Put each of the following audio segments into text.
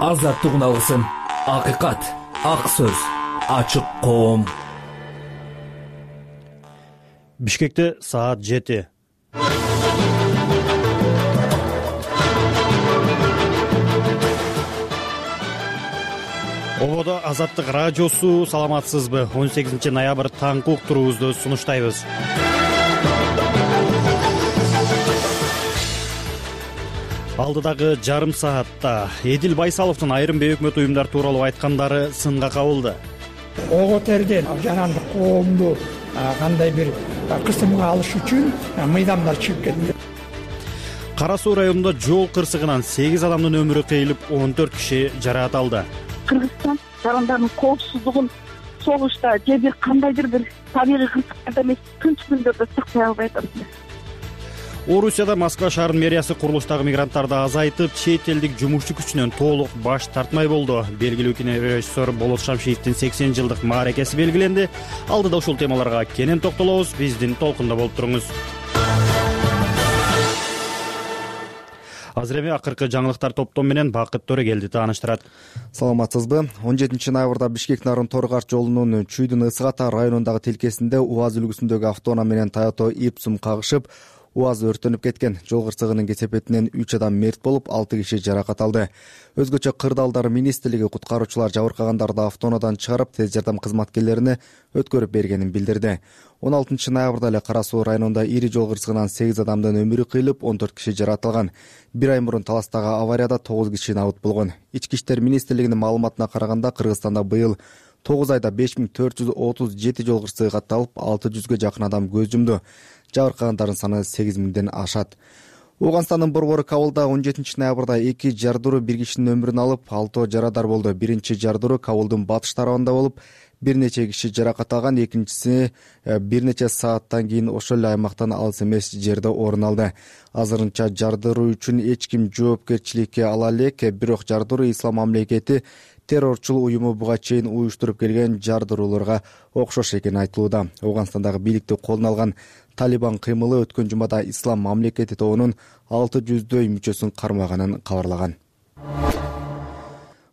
азаттык алгысын, акыйкат, ак сөз, ачык коом. Бишкекте саат 7. Ободо Азаттык радиосу, саламатсызбы? 18 ноябрь таңкы уктуруубузду сунуштайбыз. Алдыдагы жарым саатта Эдил Байсаловдун айрым бейөкмөт уюмдар тууралуу айткандары сынга кабылды. Ого терден жанагы коомду кандай бир кысымга алыш үчүн мыйдамдар чыгып кетти. Кара Суу районунда жол кырсыгынан 8 адамдын өмүрү кыйылып, 14 киши жаракат алды. Кыргызстан жарандардын коопсуздугун согушта же бир кандайдыр бир табигый кырсыктарда эмес, тынч күндөрдө сактай албай атат. Орусияда Москва шаарынын мэриясы курулуштагы мигранттарды азайтып, чет элдик жумушчу күчүнөн толук баш тартмай болду. Белгилүү кинорежиссер Болот Шамшиевдин 80 жылдык мааракеси белгиленди. Алдыда ушул темаларга кенен токтолобуз. Биздин толкунда болуп туруңуз. Азыр эми акыркы жаңылыктар топтом менен Бакыт Төрөгелди тааныштырат. Саламатсызбы? 17 ноябрда Бишкек-Нарын Торгаш жолунун Чүйдүн Ысык-Ата районундагы тилкесинде УАЗ үлгүсүндөгү автоунаа менен Toyota Ipsum кагышып, УАЗ өрттөнүп кеткен. Жол кырсыгынын кесепетинен 3 адам мерт болуп, 6 киши жаракат алды. Өзгөчө Кырдаалдар министрлиги куткаруучулар жабыркагандарды автоунаадан чыгарып, тез жардам кызматкерлерине өткөрүп бергенин билдирди. 16 ноябрда эле Кара Суу районунда ири жол кырсыгынан 8 адамдын өмүрү кыйылып, 14 киши жаратылган. Бир ай мурун Таластагы аварияда 9 киши набыт болгон. Ички иштер министрлигинин маалыматына караганда, Кыргызстанда быйыл 9 айда 5437 жол кырсыгы катталып, 600гө жакын адам көз жумду. Жабыркагандардын саны 8000ден ашат. Ооганстандын борбору Кабылда 17 ноябрда 2 жардыруу бир кишинин өмүрүн алып, 6 жарадар болду. Биринчи жардыруу Кабылдын батыш тарабында болуп, бир нече киши жаракат алган. Экинчиси бир нече сааттан кийин ошол эле аймактан алыс эмес жерде орун алды. Азырынча жардыруу үчүн эч ким жоопкерчиликке ала элек, бирок жардыруу Ислам мамлекети террорчул уюму буга чейин уюштуруп келген жардырууларга окшош экени айтылууда. Ооганстандагы бийликти колуна алган Талибан кыймылы өткөн жумада Ислам мамлекети тобунун 600дөй мүчөсүн кармаганын кабарлаган.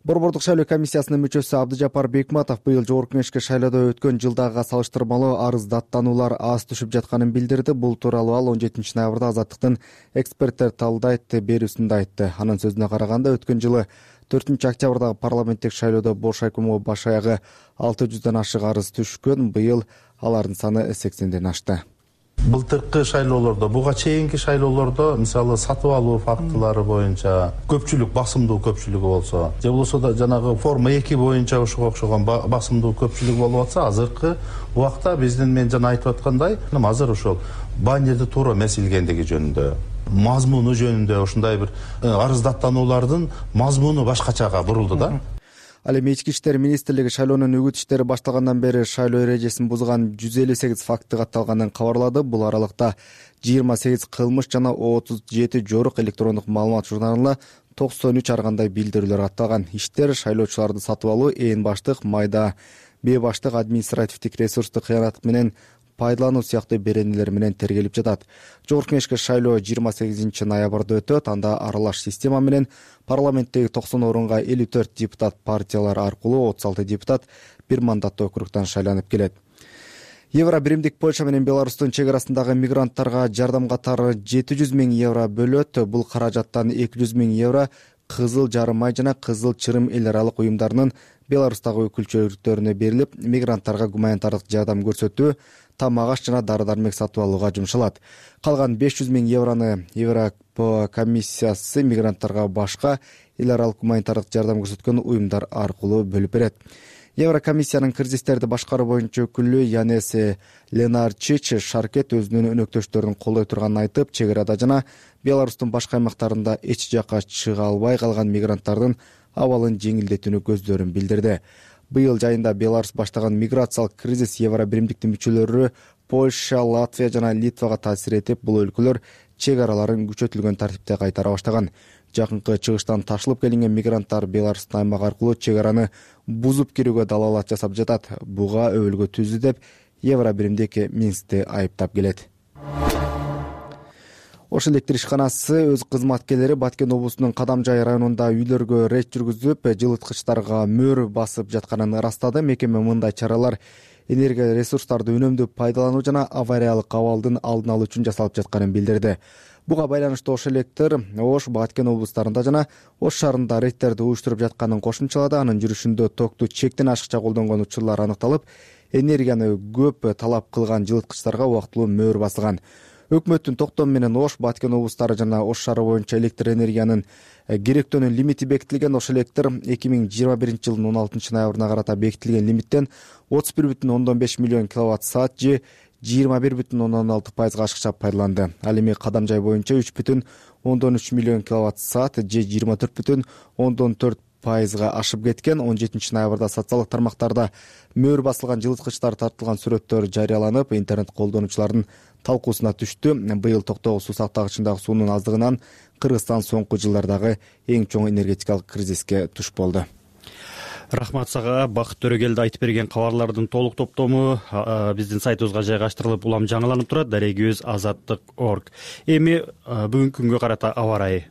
Борбордук шайлоо комиссиясынын мүчөсү Абдыжапар Бекматов быйыл жогорку кеңешке шайлоодо өткөн жылдагыга салыштырмалуу арыз даттануулар аз түшүп жатканын билдирди. Бул тууралуу ал 17 ноябрда Азаттыктын эксперттер талдайт берүүсүндө айтты. Анын сөзүнө караганда, өткөн жылы 4 октябрдагы парламенттик шайлоодо бош айкому баш аягы 600дөн ашык арыз түшкөн. Быйыл алардын саны 80ден ашты. Былтыркы шайлоолордо, буга чейинки шайлоолордо, мисалы сатып алуу фактылары боюнча көпчүлүк, басымдуу көпчүлүгү болсо, же болбосо да жанагы форма 2 боюнча ушуга окшогон басымдуу көпчүлүк болуп атса, азыркы убакта биздин мен жана айтып аткандай, азыр ошол баннерди туура эмес илгендиги жөнүндө, мазмуну жөнүндө ушундай бир арыз даттануулардын мазмуну башкачага бурулду да. Ал эми Ички иштер министрлиги шайлоонун үгүт иштери башталгандан бери шайлоо эрежесин бузган 158 факты катталганын кабарлады. Бул аралыкта 28 кылмыш жана 37 жорук электрондук маалымат журналына 93 ар кандай билдирүүлөр катталган. Иштер шайлоочуларды сатып алуу, ээн баштык, майда бебаштык, административдик ресурсту кыянаттык менен пайдалануу сыяктуу беренелер менен тергелип жатат. Жогорку кеңешке шайлоо 28 ноябрда өтөт. Анда аралаш система менен парламенттеги 90 орунга 54 депутат партиялар аркылуу 36 депутат бир мандаттуу округтан шайланып келет. Евро биримдик Польша менен Беларустун чек арасындагы мигранттарга жардам катары 700 000 евро бөлөт. Бул каражаттан 200 000 евро Кызыл Жарым ай жана Кызыл Чырым эл аралык уюмдарынын Беларустагы өкүлчүлүктөрүнө берилип, мигранттарга гуманитардык жардам көрсөтүү, тамак-аш жана дары-дармек сатып алууга жумшалат. Калган 500 000 еврону Европа комиссиясы мигранттарга башка эл аралык гуманитардык жардам көрсөткөн уюмдар аркылуу бөлүп берет. Еврокомиссиянын кризистерди башкаруу боюнча өкүлү Янес Ленарчич Шаркет өзүнүн өнөктөштөрүн колдой турганын айтып, чек арада жана Беларустун башка аймактарында эч жакка чыга албай калган мигранттардын абалын жеңилдетүүнү көздөрүн билдирди. Быйыл жайында Беларус баштаган миграциялык кризис Евро биримдиктин мүчөлөрү Польша, Латвия жана Литвага таасир этип, бул өлкөлөр чек араларын күчөтүлгөн тартипте кайтара баштаган. Жакынкы чыгыштан ташылып келинген мигранттар Беларустун аймагы аркылуу чек араны бузуп кирүүгө далаалат жасап жатат. Буга өбөлгө түздү деп Евро биримдик Минскти айыптап келет. Ош электр ишканасы өз кызматкерлери Баткен облусунун Кадамжай районунда үйлөргө рейд жүргүзүп, жылыткычтарга мөр басып жатканын ырастады. Мекеме мындай чаралар энергия ресурстарды үнөмдүү пайдалануу жана авариялык абалдын алдын алуу үчүн жасалып жатканын билдирди. Буга байланыштуу Ош электр Ош, Баткен облустарында жана Ош шаарында рейдтерди уюштуруп жатканын кошумчалады. Анын жүрүшүндө токту чектен ашыкча колдонгон учурлар аныкталып, энергияны көп талап кылган жылыткычтарга убактылуу мөр басылган. Өкмөттүн токтому менен Ош, Баткен облустары жана Ош шаары боюнча электр энергиянын керектөөнүн лимити бекитилген. Ош электр 2021-жылдын 16 ноябрына карата бекитилген лимиттен 31,5 миллион киловатт саат же 21,6% ашыкча пайдаланды. Ал эми Кадамжай боюнча 3,3 миллион киловатт саат же 24,4% ашып кеткен. 17 ноябрда социалдык тармактарда мөр басылган жылыткычтар тартылган сүрөттөр жарыяланып, интернет колдонуучулардын талкуусуна түштү. Быйыл токтогул суу сактагычындагы суунун аздыгынан Кыргызстан соңку жылдардагы эң чоң энергетикалык кризиске туш болду. Рахмат сага. Бакыт Төрөгелди айтып берген кабарлардын толук топтому биздин сайтыбызга жайгаштырылып, улам жаңыланып турат. Дарегибиз azаттык.org. Эми бүгүнкү күнгө карата аба ырайы.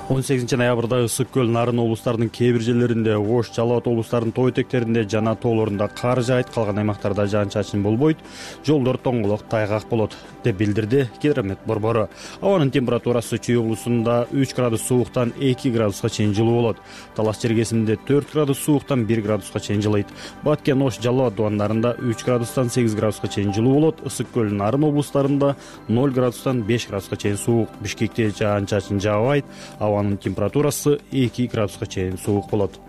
18 ноябрда Ысык көл, Нарын облустарынын кээ бир жерлеринде, Ош, Жалал Абад облустарынын тоо этектеринде жана тоолорунда кар жаайт, калган аймактарда жаан-чачын болбойт, жолдор тоңголок, тайгак болот деп билдирди Гидромет борбору. Абанын температурасы Чүй облусунда 3 градус сууктан 2 градуска чейин жылуу болот. Талас жергесинде 4 градус сууктан 1 градуска чейин жылыйт. Баткен, Ош, Жалал Абад дубандарында 3 градустан 8 градуска чейин жылуу болот. Ысык көл, Нарын облустарында 0 градустан 5 градуска чейин суук. Бишкекте жаан-чачын жаабайт. Абанын температурасы 2 градуска чейин суук болот.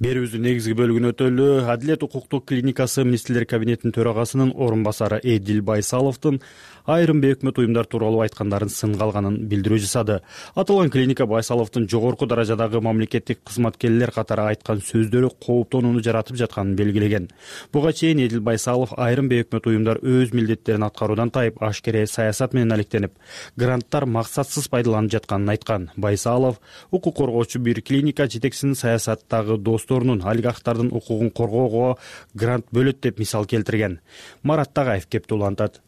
Берүүбүздүн негизги бөлүгүн өтөлү. Адилет укуктук клиникасы министрлер кабинетинин төрагасынын орун басары Эдил Байсаловдун айрым бейөкмөт уюмдар тууралуу айткандарын сынга алганын билдирүү жасады. Аталган клиника Байсаловдун жогорку даражадагы мамлекеттик кызматкерлер катары айткан сөздөрү кооптонууну жаратып жатканын белгилеген. Буга чейин Эдил Байсалов айрым бейөкмөт уюмдар өз милдеттерин аткаруудан тайып, ашкере саясат менен алектенип, гранттар максатсыз пайдаланып жатканын айткан. Байсалов укук коргоочу бир клиника жетекчисинин саясаттагы досторунун олигархтардын укугун коргоого грант бөлөт деп мисал келтирген. Марат Тагаев кепти улантат.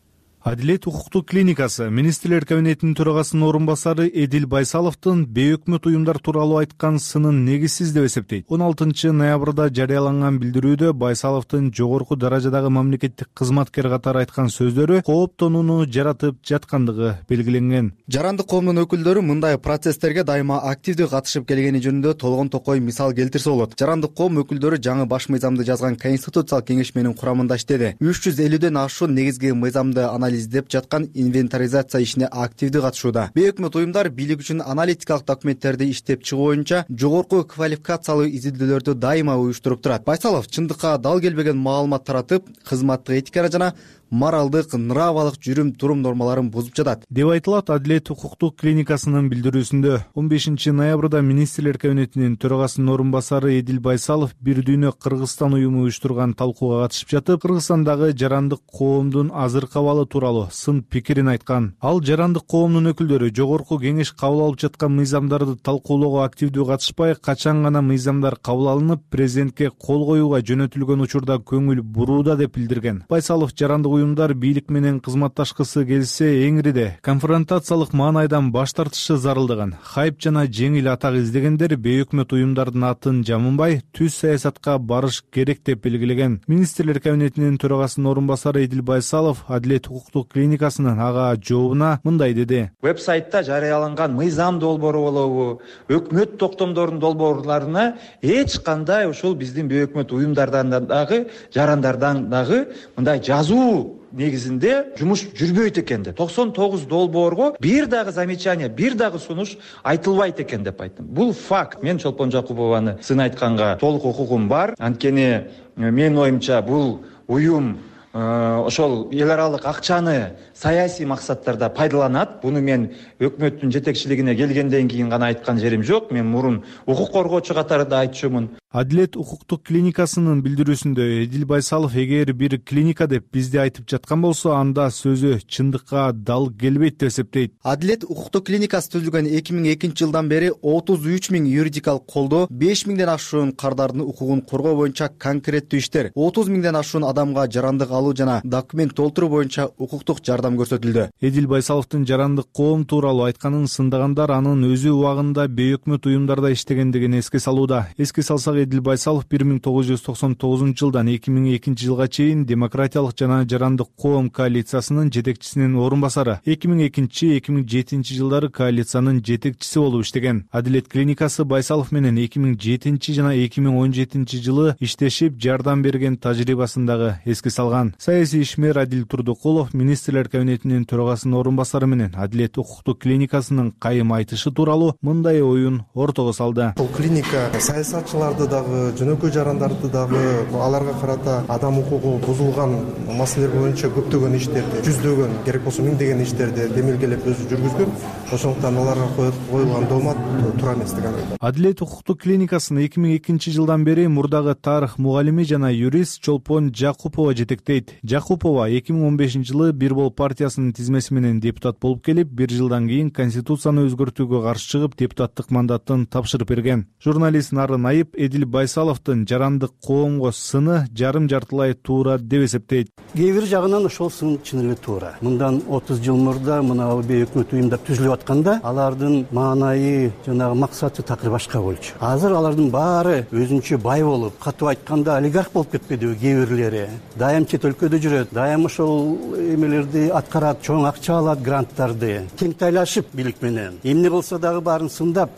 Адилет укуктук клиникасы министрлер кабинетинин төрагасынын орун басары Эдил Байсаловдун бейөкмөт уюмдар тууралуу айткан сынын негизсиз деп эсептейт. 16 ноябрда жарыяланган билдирүүдө Байсаловдун жогорку даражадагы мамлекеттик кызматкер катары айткан сөздөрү кооптонууну жаратып жаткандыгы белгиленген. Жарандык коомдун өкүлдөрү мындай процесстерге дайыма активдүү катышып келгени жөнүндө толгон токой мисал келтирсе болот. Жарандык коом өкүлдөрү жаңы баш мыйзамды жазган Конституциялык кеңешменин курамында иштеди. 350ден ашуун негизги мыйзамды издеп жаткан инвентаризация ишине активдүү катышууда. Бейөкмөт уюмдар бийлик үчүн аналитикалык документтерди иштеп чыгуу боюнча жогорку квалификациялуу изилдөөлөрдү дайыма уюштуруп турат. Байсалов чындыкка дал келбеген маалымат таратып, кызматтык этиканы жана моралдык, нравалык жүрүм-турум нормаларын бузуп жатат деп айтылат Адилет укуктук клиникасынын билдирүүсүндө. 15 ноябрда министрлер кабинетинин төрагасынын орун басары Эдил Байсалов бир дүйнө Кыргызстан уюму уюштурган талкууга катышып жатып, Кыргызстандагы жарандык коомдун азыркы абалы тууралуу сын пикирин айткан. Ал жарандык коомдун өкүлдөрү жогорку кеңеш кабыл алып жаткан мыйзамдарды талкуулоого активдүү катышпай, качан гана мыйзамдар кабыл алынып, президентке кол коюуга жөнөтүлгөн учурда көңүл бурууда деп билдирген. Байсалов жарандык уюмдар бийлик менен кызматташкысы келсе эңириде конфронтациялык маанайдан баш тартышы зарылдыгын, хайп жана жеңил атак издегендер бейөкмөт уюмдардын атын жамынбай, түз саясатка барыш керек деп белгилеген. Министрлер кабинетинин төрагасынын орун басары Эдил Байсалов Адилет укуктук клиникасынын ага жообуна мындай деди. Вебсайтта жарыяланган мыйзам долбоору болобу, өкмөт токтомдорунун долбоорларына эч кандай ушул биздин бейөкмөт уюмдардан дагы, жарандардан дагы мындай жазуу негизинде жумуш жүрбөйт экен деп. 99 долбоорго бир дагы замечание, бир дагы сунуш айтылбайт экен деп айттым. Бул факт. Мен Чолпон Жакупованы сын айтканга толук укугум бар. Анткени менин оюмча бул уюм ошол эл аралык акчаны саясий максаттарда пайдаланат. Буну мен өкмөттүн жетекчилигине келгенден кийин гана айткан жерим жок. Мен мурун укук коргоочу катары да айтчумун. Адилет укуктук клиникасынын билдирүүсүндө Эдил Байсалов эгер бир клиника деп бизди айтып жаткан болсо, анда сөзү чындыкка дал келбейт деп эсептейт. Адилет укуктук клиникасы түзүлгөн 2002 жылдан бери 33 000 юридикалык колдоо, 5 000ден ашуун кардардын укугун коргоо боюнча конкреттүү иштер, 30 000ден ашуун адамга жарандык алуу жана документ толтуруу боюнча укуктук жардам көрсөтүлдү. Эдил Байсаловдун жарандык коом тууралуу айтканын сындыгандар анын өзү убагында бейөкмөт уюмдарда иштегендигин эске салууда. Эске салсак, Эдил Байсалов 1999 жылдан 2002 жылга чейин Демократиялык жана жарандык коом коалициясынын жетекчисинин орун басары, 2002-2007 жылдары коалициянын жетекчиси болуп иштеген. Адилет клиникасы Байсалов менен 2007 жана 2017 жылы иштешип жардам берген тажрыйбасын дагы эске салган. Саясий ишмер Адил Турдукулов министрлер кабинетинин төрагасынын орун басары менен Адилет укуктук клиникасынын кайым айтышы тууралуу мындай оюн ортого салды. Бул клиника саясатчыларды дагы, жөнөкөй жарандарды дагы, аларга карата адам укугу бузулган маселелер боюнча көптөгөн иштерди, жүздөгөн, керек болсо миңдеген иштерди демилгелеп өзү жүргүзгөн. Ошондуктан аларга коюлган доомат туура эмес деген ойдомун. Адилет укуктук клиникасын 2002 жылдан бери мурдагы тарых мугалими жана юрист Чолпон Жакупова жетектейт. Жакупова 2015 жылы Бир Бол партиясынын тизмеси менен депутат болуп келип, бир жылдан кийин конституцияны өзгөртүүгө каршы чыгып, депутаттык мандатын тапшырып берген. Журналист Нарын Айып Эдил Байсаловдун жарандык коомго сыны жарым-жартылай туура деп эсептейт. Кээ бир жагынан ошол сын чын эле туура. Мындан 30 жыл мурда мына бейөкмөт уюмдар түзүлүп атканда, алардын маанайы, жанагы максаты такыр башка болчу. Азыр алардын баары өзүнчө бай болуп, катуу айтканда олигарх болуп кетпедиби кээ бирлери. Дайым чет өлкөдө жүрөт, дайым ошол эмелерди аткарат, чоң акча алат, гранттарды. Тең тайлашып бийлик менен. Эмне болсо дагы баарын сындап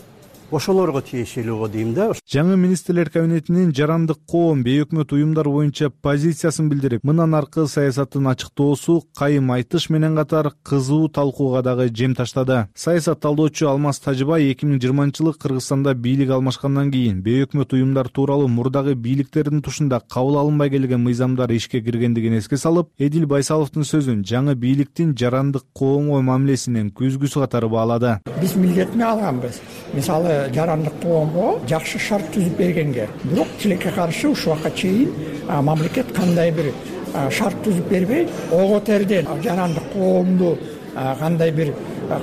ошолорго тиешелүү го дейм да. Жаңы министрлер кабинетинин жарандык коом бейөкмөт уюмдар боюнча позициясын билдирип, мындан аркы саясатын ачыктоосу кайым айтыш менен катар кызуу талкууга дагы жем таштады. Саясат талдоочу Алмаз Тажыбай 2020 жылы Кыргызстанда бийлик алмашкандан кийин бейөкмөт уюмдар тууралуу мурдагы бийликтердин тушунда кабыл алынбай келген мыйзамдар ишке киргендигин эске салып, Эдил Байсаловдун сөзүн жаңы бийликтин жарандык коомго мамилесинин көзгүсү катары баалады. Биз милдетме алганбыз. Мисалы жарандык коомго жакшы шарт түзүп бергенге, бирок тилекке каршы ушул убакка чейин мамлекет кандай бир шарт түзүп бербей, ого терден жарандык коомду кандай бир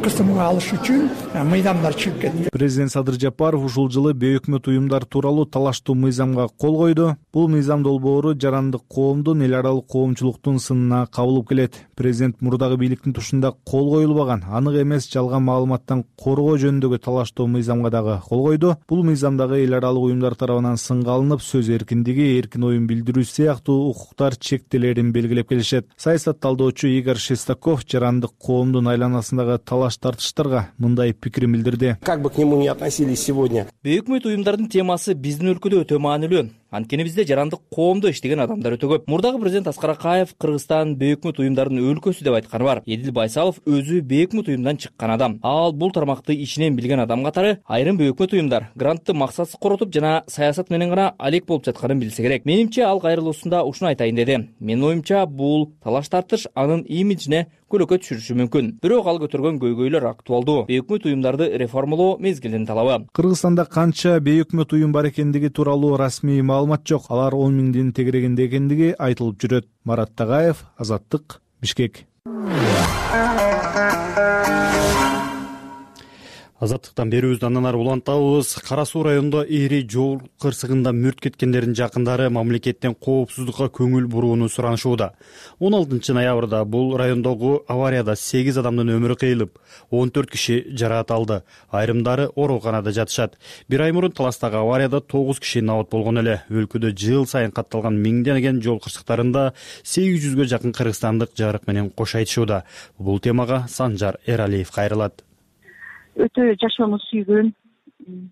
кысымга алыш үчүн мыйзамдар чыгып кетти. Президент Садыр Жапаров ушул жылы бейөкмөт уюмдар тууралуу талаштуу мыйзамга кол койду. Бул мыйзам долбоору жарандык коомдун эл аралык коомчулуктун сынына кабылып келет. Президент мурдагы бийликтин тушунда кол коюлбаган, анык эмес жалган маалыматтан коргоо жөнүндөгү талаштуу мыйзамга дагы кол койду. Бул мыйзамдагы эл аралык уюмдар тарабынан сынга алынып, сөз эркиндиги, эркин оюн билдирүү сыяктуу укуктар чектелерин белгилеп келишет. Саясат талдоочу Игорь Шестаков жарандык коомдун айланасындагы талаш тартыштарга мындай пикирин билдирди. Как бы к нему не относились сегодня. Бейөкмөт уюмдардын темасы биздин өлкөдө өтө маанилүү. Анткени бизде жарандык коомдо иштеген адамдар өтө көп. Мурдагы президент Аскар Акаев Кыргызстан бейөкмөт уюмдардын өлкөсү деп айтканы бар. Эдил Байсалов өзү бейөкмөт уюмдан чыккан адам. Ал бул тармакты ичинен билген адам катары айрым бейөкмөт уюмдар грантты максатсыз коротуп жана саясат менен гана алек болуп жатканын билсе керек. Менимче ал кайрылуусунда ушуну айтайын деди. Менин оюмча бул талаш тартыш анын имиджине көлөкө түшүрүшү мүмкүн. Бирок ал көтөргөн көйгөйлөр актуалдуу. Бейөкмөт уюмдарды реформалоо мезгилинин талабы. Кыргызстанда канча бейөкмөт уюм бар экендиги тууралуу расмий маалымат жок. Алар 10 000дин тегерегинде экендиги айтылып жүрөт. Марат Тагаев, Азаттык, Бишкек. Азаттыктан берүүбүздү андан ары улантабыз. Кара Суу районунда ири жол кырсыгында мүрт кеткендердин жакындары мамлекеттен коопсуздукка көңүл бурууну суранышууда. 16 ноябрда бул райондогу аварияда 8 адамдын өмүрү кыйылып, 14 киши жараат алды. Айрымдары ооруканада жатышат. Бир ай мурун Таластагы аварияда 9 киши набат болгон эле. Өлкөдө жыл сайын катталган миңдеген жол кырсыктарында 800гө жакын кыргызстандык жарык менен кош айтышууда. Бул темага Санжар Эралиев кайрылат. Өтө жашоону сүйгөн,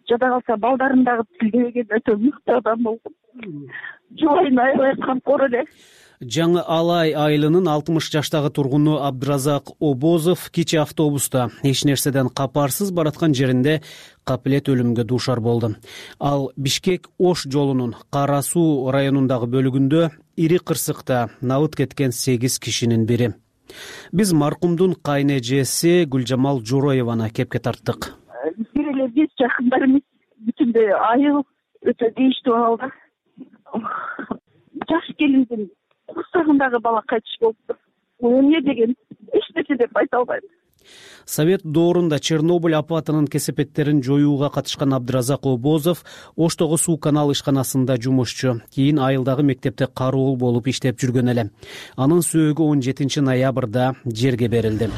жада калса балдарын дагы тилдебеген өтө мыкты адам болгон. Жубайын аябай камкор эле. Жаңы Алай айылынын 60 жаштагы тургуну Абдыразак Обозов кичи автобуста эч нерседен капарсыз бараткан жеринде капилет өлүмгө дуушар болду. Ал Бишкек-Ош жолунун Кара Суу районундагы бөлүгүндө ири кырсыкта набыт кеткен 8 кишинин бири. Биз маркумдун кайын эжеси Гүлжамал Журоеваны кепке тарттык. Бир эле биз жакындарыбыз бүтүндөй айыл өтө тийиштүү абалда. Жаш келиндин курсагындагы бала кайтыш болуптур. Бул эмне деген эч нерсе деп айта албайм. Совет доорунда Чернобыль апатынын кесепеттерин жоюуга катышкан Абдыразак Обозов Оштогу суу канал ишканасында жумушчу, кийин Айылдагы мектепте кароол болуп иштеп жүргөн эле. Анын сөөгү 17 ноябрда жерге берилди.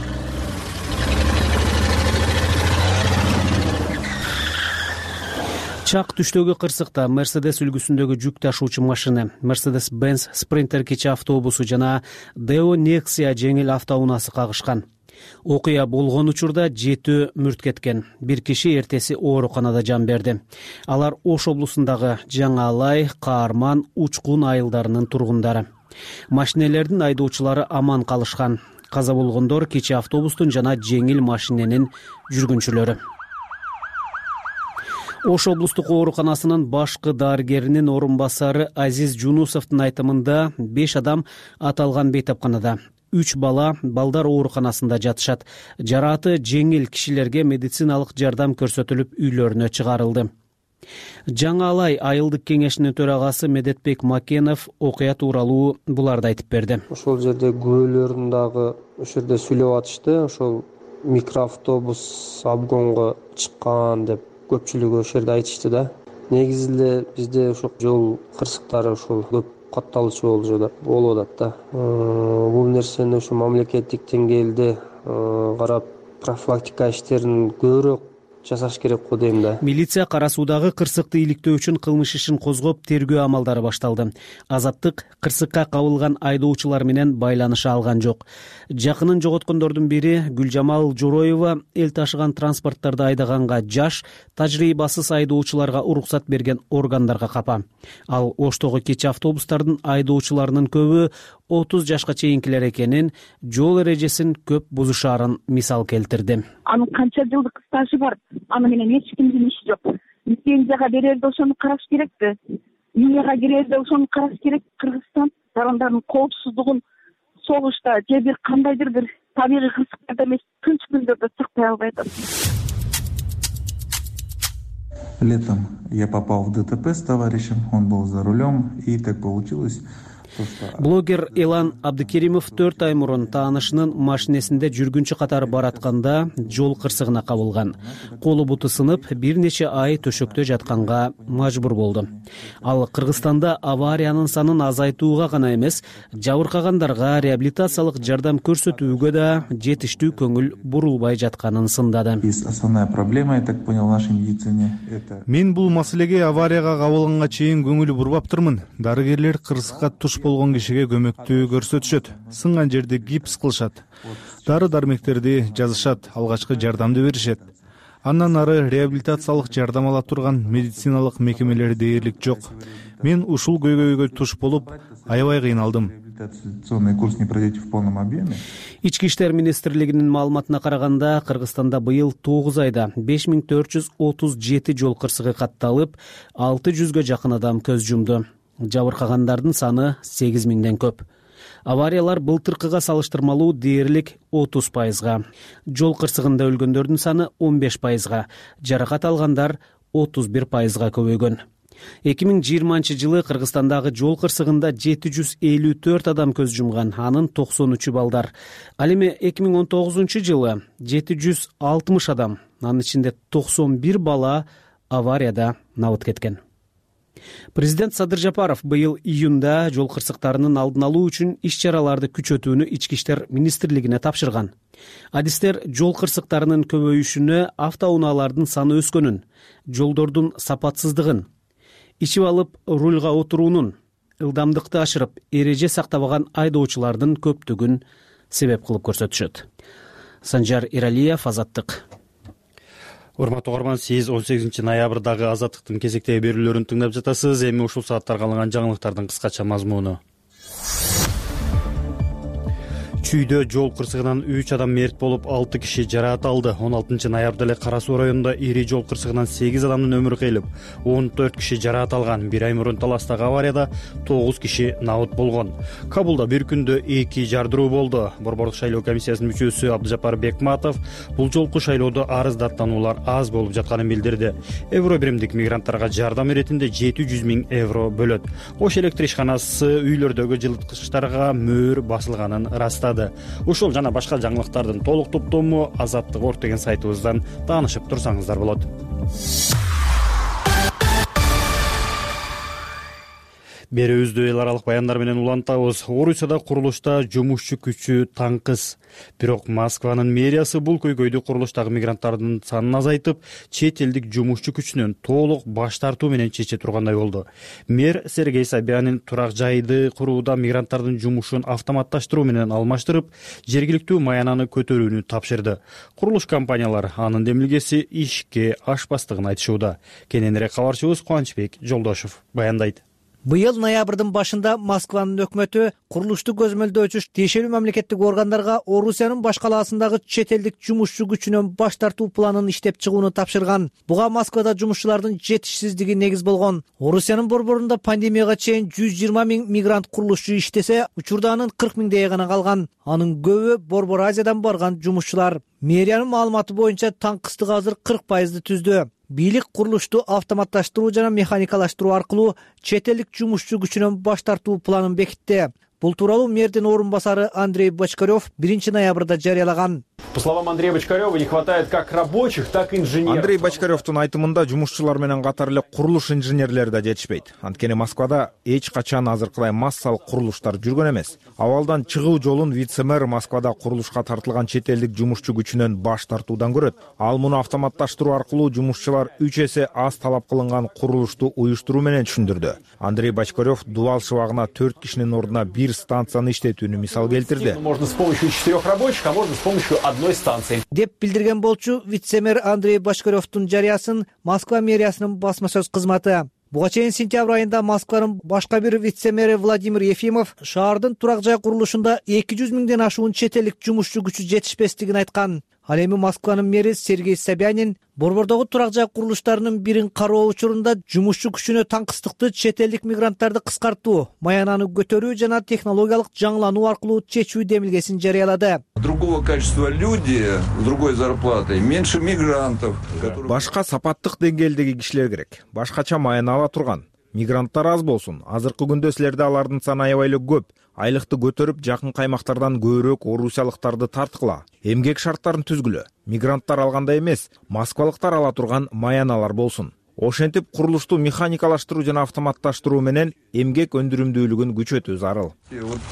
Чак түштөгү кырсыкта Mercedes үлгүсүндөгү жүк ташуучу машина, Mercedes-Benz Sprinter кичи автобусу жана Deo Nexia жеңил автоунаасы кагышкан. Окуя болгон учурда 7 мүрт кеткен. Бир киши эртеси ооруканада жан берди. Алар Ош облусундагы Жаңы Алай, Каарман, Учкун айылдарынын тургундары. Машинелердин айдоочулары аман калышкан. Каза болгондор кичи автобустун жана жеңил машиненин жүргүнчүлөрү. Ош облустук ооруканасынын башкы дарыгеринин орун басары Азиз Жунусовдун айтымында 5 адам аталган бейтапканада, 3 бала балдар ооруканасында жатышат. Жарааты жеңил кишилерге медициналык жардам көрсөтүлүп үйлөрүнө чыгарылды. Жаңы Алай айылдык кеңешинин төрагасы Медетбек Макенов окуя тууралуу буларды айтып берди. Ошол жерде күбөлөрүн дагы ошол жерде сүйлөп атышты. Ошол микроавтобус обгонго чыккан деп көпчүлүгү ошол жерде айтышты да. Негизи эле бизде ошол жол кырсыктары ошол көп катталуучу болуп атат да. Бул нерсени ошо мамлекеттик деңгээлде карап профилактика иштерин көбүрөөк жасаш керек го дейм да. Милиция кара суудагы кырсыкты иликтөө үчүн кылмыш ишин козгоп, тергөө амалдары башталды. Азаттык кырсыкка кабылган айдоочулар менен байланыша алган жок. Жакынын жоготкондордун бири Гүлжамал Жороева эл ташыган транспорттарды айдаганга жаш, тажрыйбасыз айдоочуларга уруксат берген органдарга капа. Ал Оштогу кечи автобустардын айдоочуларынын көбү 30 жашка чейинкилер экенин, жол эрежесин көп бузушаарын мисал келтирди. Анын канча жылдык стажы бар, аны менен эч кимдин иши жок. Лицензияга берерде ошону караш керекпи? Мияга кирерде ошону караш керек. Кыргызстан жарандардын коопсуздугун согушта же бир кандайдыр бир табигый кырсыктарда эмес, тынч күндөрдө сактай албай атат. Летом я попал в ДТП с товарищем, он был за рулем, и так получилось. Блогер Элан Абдыкеримов 4 ай мурун таанышынын машинесинде жүргүнчү катары баратканда жол кырсыгына кабылган. Колу буту сынып, бир нече ай төшөктө жатканга мажбур болду. Ал Кыргызстанда авариянын санын азайтууга гана эмес, жабыркагандарга реабилитациялык жардам көрсөтүүгө да жетиштүү көңүл бурулбай жатканын сындады. Основная проблема, я так понял, в нашей медицине это... Мен бул маселеге аварияга кабылганга чейин көңүл бурбаптырмын. Дарыгерлер кырсыкка туш болгон кишиге көмөктүү көрсөтүшөт. Сынган жерде гипс кылышат. Дары-дармектерди жазышат, алгачкы жардамды беришет. Андан ары реабилитациялык жардам ала турган медициналык мекемелер дээрлик жок. Мен ушул көйгөйгө туш болуп, аябай кыйналдым. Курс не пройдете в полном объеме. Ички иштер министрлигинин маалыматына караганда, Кыргызстанда быйыл 9 айда 5437 жол кырсыгы катталып, 600га жакын адам көз жумду. Жабыркагандардын саны 8000ден көп. Авариялар былтыркыга салыштырмалуу дээрлик 30%. Жол кырсыгында өлгөндөрдүн саны 15%, жаракат алгандар 31%га көбөйгөн. 2020 Кыргызстандагы жол кырсыгында 754 адам көз жумган, анын 93 балдар. Ал эми 2019 жылы 760 адам, анын ичинде 91 бала аварияда набыт кеткен. Президент Садыр Жапаров быйыл июнда жол кырсыктарынын алдын алуу үчүн иш-чараларды күчөтүүнү Ички иштер министрлигине тапшырган. Адистер жол кырсыктарынын көбөйүшүнө, автоунаалардын саны өскөнүн, жолдордун сапатсыздыгын, ичип алып рульга отуруунун, ылдамдыкты ашырып, эреже сактабаган айдоочулардын көптүгүн себеп кылып көрсөтүшөт. Санжар Иралиев, Азаттык. Урматтуу угарман, сиз 18 ноябрдагы Азаттыктын кезектеги берүүлөрүн тыңдап жатасыз. Эми ушул сааттарга алынган жаңылыктардын кыскача мазмуну. Чүйдө жол кырсыгынан 3 адам мерт болуп, 6 киши жараат алды. 16 ноябрда эле Кара Суу районунда ири жол кырсыгынан 8 адамдын өмүрү кыйылып, 14 киши жараат алган. Бир ай мурун Таластагы аварияда 9 киши набыт болгон. Кабулда бир күндө 2 жардыруу болду. Борбордук шайлоо комиссиясынын мүчөсү Абдыжапар Бекматов бул жолку шайлоодо арыздаттануулар аз болуп жатканын билдирди. Евро биримдик мигранттарга жардам иретинде 700 000 евро бөлөт. Ош электр ишканасы үйлөрдөгү жылыткычтарга мөөр басылганын ырастады. Ушул жана башка жаңылыктардын толук топтому Азаттык.org деген сайтыбыздан таанышып турсаңыздар болот. Берүүбүздү эл аралык баяндар менен улантабыз. Орусияда курулушта жумушчу күчү таңкыс. Бирок Москванын мэриясы бул көйгөйдү курулуштагы мигранттардын санын азайтып, чет элдик жумушчу күчүнөн толук баш тартуу менен чече тургандай болду. Мэр Сергей Собянин турак жайды курууда мигранттардын жумушун автоматташтыруу менен алмаштырып, жергиликтүү маянаны көтөрүүнү тапшырды. Курулуш компаниялары анын демилгеси ишке ашпастыгын айтышууда. Кененирээк кабарчыбыз Кубанычбек Жолдошов баяндайт. Быйыл ноябрдын башында Москванын өкмөтү курулушту көзмөлдөөчү тиешелүү мамлекеттик органдарга Орусиянын баш калаасындагы чет элдик жумушчу күчүнөн баш тартуу планын иштеп чыгууну тапшырган. Буга Москвада жумушчулардын жетишсиздиги негиз болгон. Орусиянын борборунда пандемияга чейин 120 000 мигрант курулушчу иштесе, учурда анын 40 000 гана калган. Анын көбү Борбор Азиядан барган жумушчулар. Мэриянын маалыматы боюнча таңкыстык азыр 40% түздү. Бийлик курулушту автоматташтыруу жана механикалаштыруу аркылуу чет элдик жумушчу күчүнөн баш тартуу планын бекитти. Бул тууралуу мэрдин орун басары Андрей Бочкарев 1 ноябрда жарыялаган. По словам Андрея Бочкарева, не хватает как рабочих, так и инженеров. Андрей Бочкаревдун айтымында жумушчулар менен катар эле курулуш инженерлери да жетишпейт. Анткени Москвада эч качан азыркыдай массалык курулуштар жүргөн эмес. Абалдан чыгуу жолун вице-мэр Москвада курулушка тартылган чет элдик жумушчу күчүнөн баш тартуудан көрөт. Ал муну автоматташтыруу аркылуу жумушчулар 3 эсе аз талап кылынган курулушту уюштуруу менен түшүндүрдү. Андрей Бочкарев дубал шыбагына 4 кишинин ордуна бир станцияны иштетүүнү мисал келтирди. Можно с помощью 4 рабочих, а можно с помощью одной станции. Деп билдирген болчу вице-мэр Андрей Бочкаревдун жарыясын Москва мэриясынын басма сөз кызматы. Буга чейин сентябрь айында Москванын башка бир вице-мэри Владимир Ефимов шаардын турак жай курулушунда 200 000ден ашуун чет элдик жумушчу күчү жетишпестигин айткан. Ал эми Москванын мэри Сергей Собянин борбордогу турак жай курулуштарынын бирин кароо учурунда жумушчу күчүнө таңкыстыкты чет элдик мигранттарды кыскартуу, маянаны көтөрүү жана технологиялык жаңылануу аркылуу чечүү демилгесин жарыялады. Другого качества люди, с другой зарплатой, меньше мигрантов. Башка сапаттык деңгээлдеги кишилер керек. Башкача маяна ала турган. Мигранттар аз болсун. Азыркы күндө силерде алардын саны аябай эле көп. Айлыкты көтөрүп, жакын каймактардан көбүрөөк орусиялыктарды тарткыла. Эмгек шарттарын түзгүлө. Мигранттар алгандай эмес, москвалыктар ала турган маяналар болсун. Ошентип курулушту механикалаштыруу жана автоматташтыруу менен эмгек өндүрүмдүүлүгүн күчөтүү зарыл.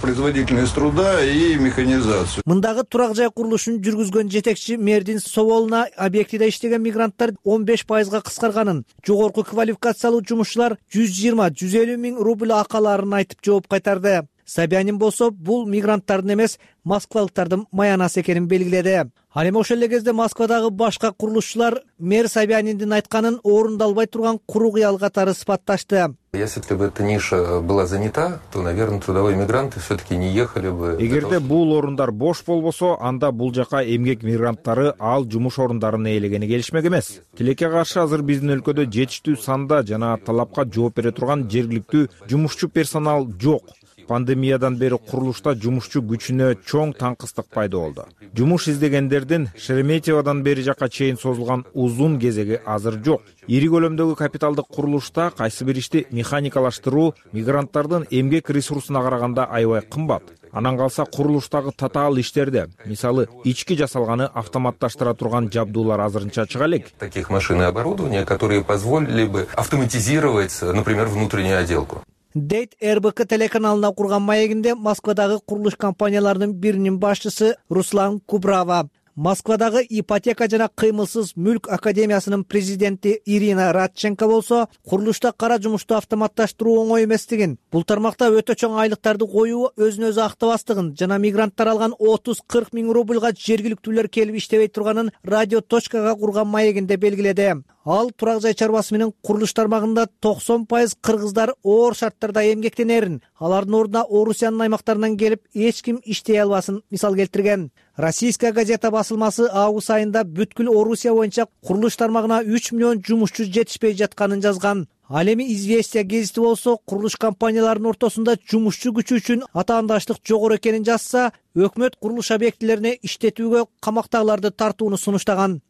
Производительность труда и механизацию. Мындагы турак жай курулушун жүргүзгөн жетекчи мэрдин соолуна объектиде иштеген мигранттар 15%га кыскарганын, жогорку квалификациялуу жумушчулар 120-150 000 рубль акы аларын айтып жооп кайтарды. Собянин болсо бул мигранттардын эмес, москвалыктардын маянасы экенин белгиледи. Ал эми ошол эле кезде Москвадагы башка курулушчулар мэр Собяниндин айтканын орундалбай турган куру кыял катары сыпатташты. Если бы эта ниша была занята, то, наверное, трудовые мигранты все-таки не ехали бы. Эгерде бул орундар бош болбосо, анда бул жака эмгек мигранттары ал жумуш орундарын ээлегени келишмек эмес. Тилекке каршы азыр биздин өлкөдө жетиштүү санда жана талапка жооп бере турган жергиликтүү жумушчу персонал жок. Пандемиядан бери курулушта жумушчу күчүнө чоң таңкыстык пайда болду. Жумуш издегендердин Шереметьевадан бери жакка чейин созулган узун кезеги азыр жок. Ири көлөмдөгү капиталдык курулушта кайсы бир ишти механикалаштыруу мигранттардын эмгек ресурсуна караганда аябай кымбат. Анан калса курулуштагы татаал иштерде, мисалы, ички жасалганы автоматташтыра турган жабдуулар азырынча чыга элек. Таких машин и оборудования, которые позволили бы автоматизировать, например, внутреннюю отделку. Дейт РБК телеканалына курган маегинде Москвадагы курулуш компанияларынын биринин башчысы Руслан Кубрава. Москвадагы ипотека жана кыймылсыз мүлк академиясынын президенти Ирина Радченко болсо, курулушта кара жумушту автоматташтыруу оңой эместигин, бул тармакта өтө чоң айлыктарды коюу өзүн өзү актабастыгын жана мигранттар алган 30-40 000 рубльга жергиликтүүлөр келип иштебей турганын радио точкага курган маегинде белгиледи. ал турак жай чарбасы менен курулуш тармагында 90% кыргыздар оор шарттарда эмгектенерин, алардын ордуна Орусиянын аймактарынан келип эч ким иштей албасын мисал келтирген. Российская газета басылмасы август айында бүткүл Орусия боюнча курулуш тармагына 3 миллион жумушчу жетишпей жатканын жазган. Ал эми Известия гезити болсо курулуш компанияларынын ортосунда жумушчу күчү үчүн атаандаштык жогору экенин жазса, өкмөт курулуш объектилерине иштетүүгө камактагыларды тартууну сунуштаган.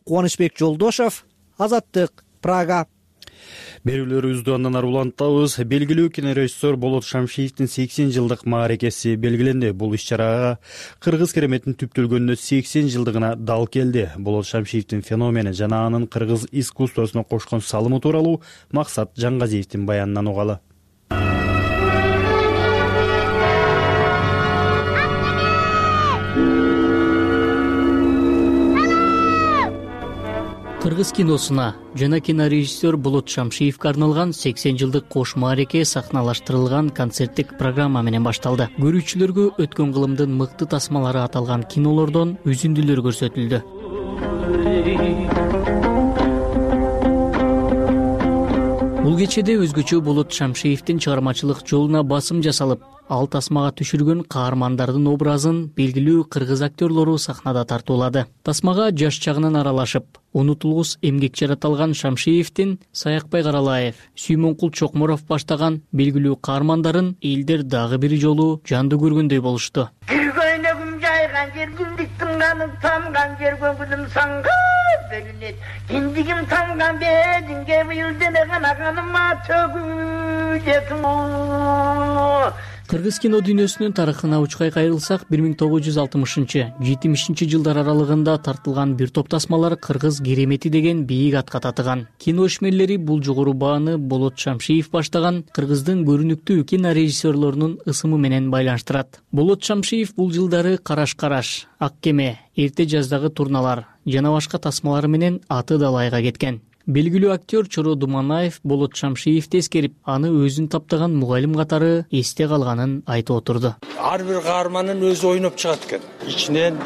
Кубанычбек Жолдошов, Азаттык, Прага. Берүүлөрүбүздү андан ары улантабыз. Белгилүү кинорежиссер Болот Шамшиевдин 80 жылдык мааракеси белгиленди. Бул иш-чарага кыргыз кереметин түптөлгөнүнө 80 жылдыгына дал келди. Болот Шамшиевдин феномени жана анын кыргыз искусствосуна кошкон салымы тууралуу Максат Жаңгазиевдин баянынан угалы. Кыргыз киносуна жана кинорежиссер Болот Шамшиевге арналган 80 жылдык кош маареке сахналаштырылган концерттик программа менен башталды. Көрүүчүлөргө өткөн кылымдын мыкты тасмалары аталган кинолордон үзүндүлөр көрсөтүлдү. Бул кечеде өзгөчө Болот Шамшиевдин чыгармачылык жолуна басым жасалып, ал тасмага түшүргөн каармандардын образын белгилүү кыргыз актерлору сахнада тартуулады. Тасмага жаш чагынан аралашып, унутулгус эмгек жараталган Шамшиевдин Саякбай Каралаев, Сүймөнкул Чокморов баштаган белгилүү каармандарын элдер дагы бир жолу жандуу көргөндөй болушту. Көйнөгүм жайган жер күндүк тыңганып тамган жер көңүлүм саңга бөлүнөт. Киндигим тамган бединге быйыл дене канаганыма төгүлөт. Кыргыз кино дүйнөсүнүн тарыхына учкай кайрылсак, 1960-70 жылдар аралыгында тартылган бир топ тасмалар кыргыз керемети деген бийик атка татыган. Кино ишмерлери бул жогору бааны Болот Шамшиев баштаган кыргыздын көрүнүктүү кинорежиссерлорунун ысымы менен байланыштырат. Болот Шамшиев бул жылдары Караш, Ак кеме, Эрте жаздагы турналар жана башка тасмалары менен аты далайга кеткен. Белгилүү актер Чоро Думанаев Болот Шамшиевди эскерип, аны өзүн таптаган мугалим катары эсте калганын айтып отурду. Ар бир каарманын өзү ойноп чыгат экен. Ичинен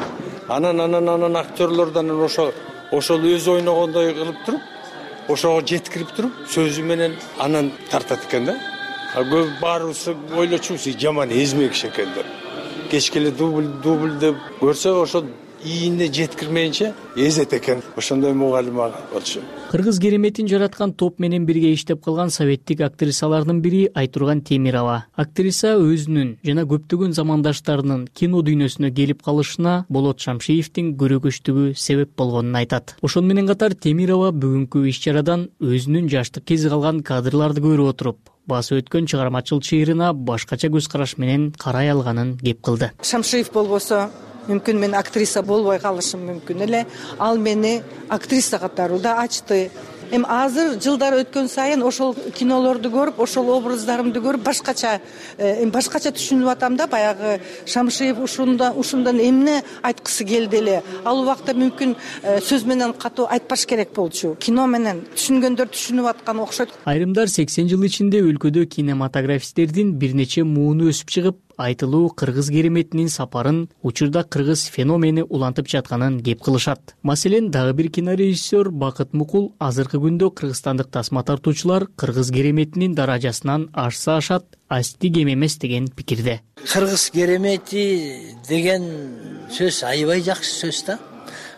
анан актерлордон ошол өзү ойногондой кылып туруп, ошого жеткирип туруп, сөзү менен анан тартат экен да. Көп баарыбыз ойлочубуз, жаман эзме киши экен деп. Кечке эле дубль көрсө ошол ийине жеткирмейинче эзет экен. Ошондой мугалим болчу. Кыргыз кереметин жараткан топ менен бирге иштеп калган советтик актрисалардын бири Айтурган Темирова. Актриса өзүнүн жана көптөгөн замандаштарынын кино дүйнөсүнө келип калышына Болот Шамшиевдин көрөгөчтүгү себеп болгонун айтат. Ошону менен катар Темирова бүгүнкү иш-чарадан өзүнүн жаштык кези калган кадрларды көрүп отуруп, басы өткөн чыгармачыл чыйрына башкача көз караш менен карай алганын кеп кылды. Шамшиев болбосо мүмкүн мен актриса болбой калышым мүмкүн эле. Ал мени актриса катары да ачты. Азыр жылдар өткөн сайын ошол кинолорду көрүп, ошол образдарымды көрүп башкача түшүнүп атам да. Баягы Шамшиев ушундан эмне айткысы келди эле. Ал убакта мүмкүн сөз менен катуу айтпаш керек болчу. Кино менен түшүнгөндөр түшүнүп аткан окшойт. Айрымдар 80 жыл ичинде өлкөдө кинематографисттердин бир нече мууну өсүп чыгып, айтылуу кыргыз кереметинин сапарын учурда кыргыз феномени улантып жатканын кеп кылышат. Маселен, дагы бир кинорежиссер Бакыт Мукул азыркы күндө кыргызстандык тасма тартуучулар кыргыз кереметинин даражасынан ашса ашат, асти кем эмес деген пикирде. Кыргыз керемети деген сөз аябай жакшы сөз да.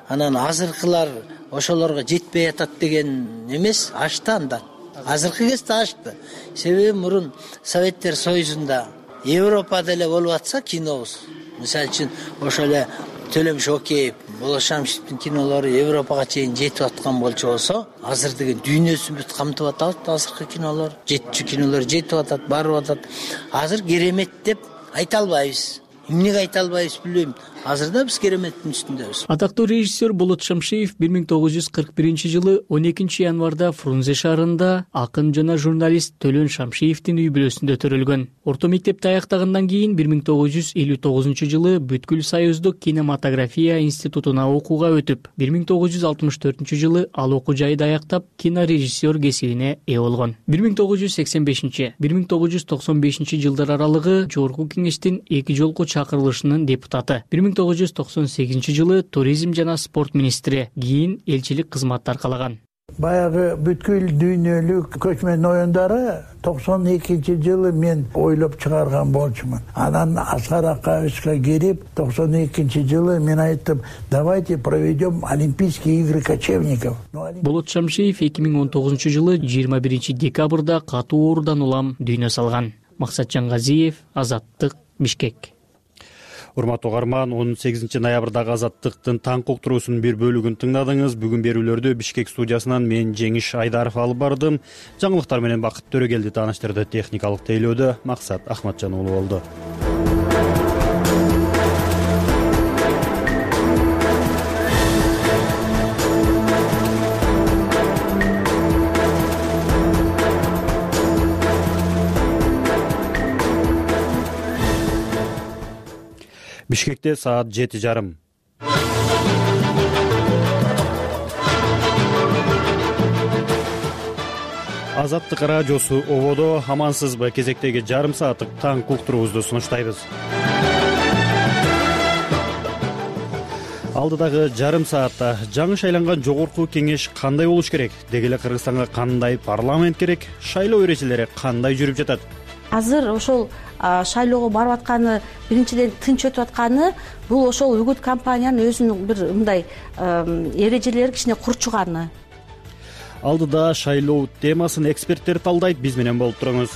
Анан азыркылар ошолорго жетпей атат деген эмес, ашты андан. Азыркы кезде ашты. Себеби мурун Советтер Союзунда Европада эле болуп атса кинобуз. Мисалы үчүн ошол эле Төлөм Шокеев, Болот Шамшиевдин кинолору Европага чейин жетип аткан болчу болсо, азыр деген дүйнөсүн бүт камтып атат. Азыркы кинолор, жетчү кинолор жетип атат, барып атат. Азыр керемет деп айта албайбыз. Эмнеге айта албайбыз билбейм. Азырда биз кереметтин үстүндөбүз. Атактуу режиссер Болот Шамшиев 1941 жылы 12 январда Фрунзе шаарында акын жана журналист Төлөн Шамшиевдин үй бүлөсүндө төрөлгөн. Орто мектепти аяктагандан кийин 1959 жылы бүткүл союздук кинематография институтуна окууга өтүп, 1964 жылы ал окуу жайды аяктап, кинорежиссер кесибине ээ болгон. 1985-1995 жылдар аралыгы Жогорку Кеңештин 2 жолку чакырылышынын депутаты. 1998 жылы туризм жана спорт министри, кийин элчилик кызматты аркалаган. баягы бүткүл дүйнөлүк көчмөн оюндары 92-жылы мен ойлоп чыгарган болчумун. Анан Аскар Акаевичке кирип 92-жылы мен айттым, давайте проведем Олимпийские игры кочевников. Болот Шамшиев 2019-жылы 21 декабрда катуу оорудан улам дүйнө салган. Максат Жангазиев, Азаттык, Бишкек. Урматтуу угарман, 18 ноябрдагы Азаттыктын таңкы уктуруусунун бир бөлүгүн тыңдадыңыз. Бүгүн берүүлөрдү Бишкек студиясынан мен Жеңиш Айдаров алып бардым. Жаңылыктар менен Бакыт Төрөгелди тааныштырды. Техникалык тейлөөдө Максат Ахматжан уулу болду. Бишкекте саат 7:30. Азаттык радиосу ободо. Амансызбы? Кезектеги жарым сааттык таңкы уктуруубузду сунуштайбыз. Алдыдагы жарым саатта жаңы шайланган жогорку кеңеш кандай болуш керек? Деги эле Кыргызстанга кандай парламент керек? Шайлоо эрежелери кандай жүрүп жатат? Азыр ошол шайлоого барып атканы, биринчиден тынч өтүп атканы, бул ошол үгүт компаниянын өзүнүн бир мындай эрежелери кичине курчуганы. Алдыда шайлоо темасын эксперттер талдайт. Биз менен болуп туруңуз.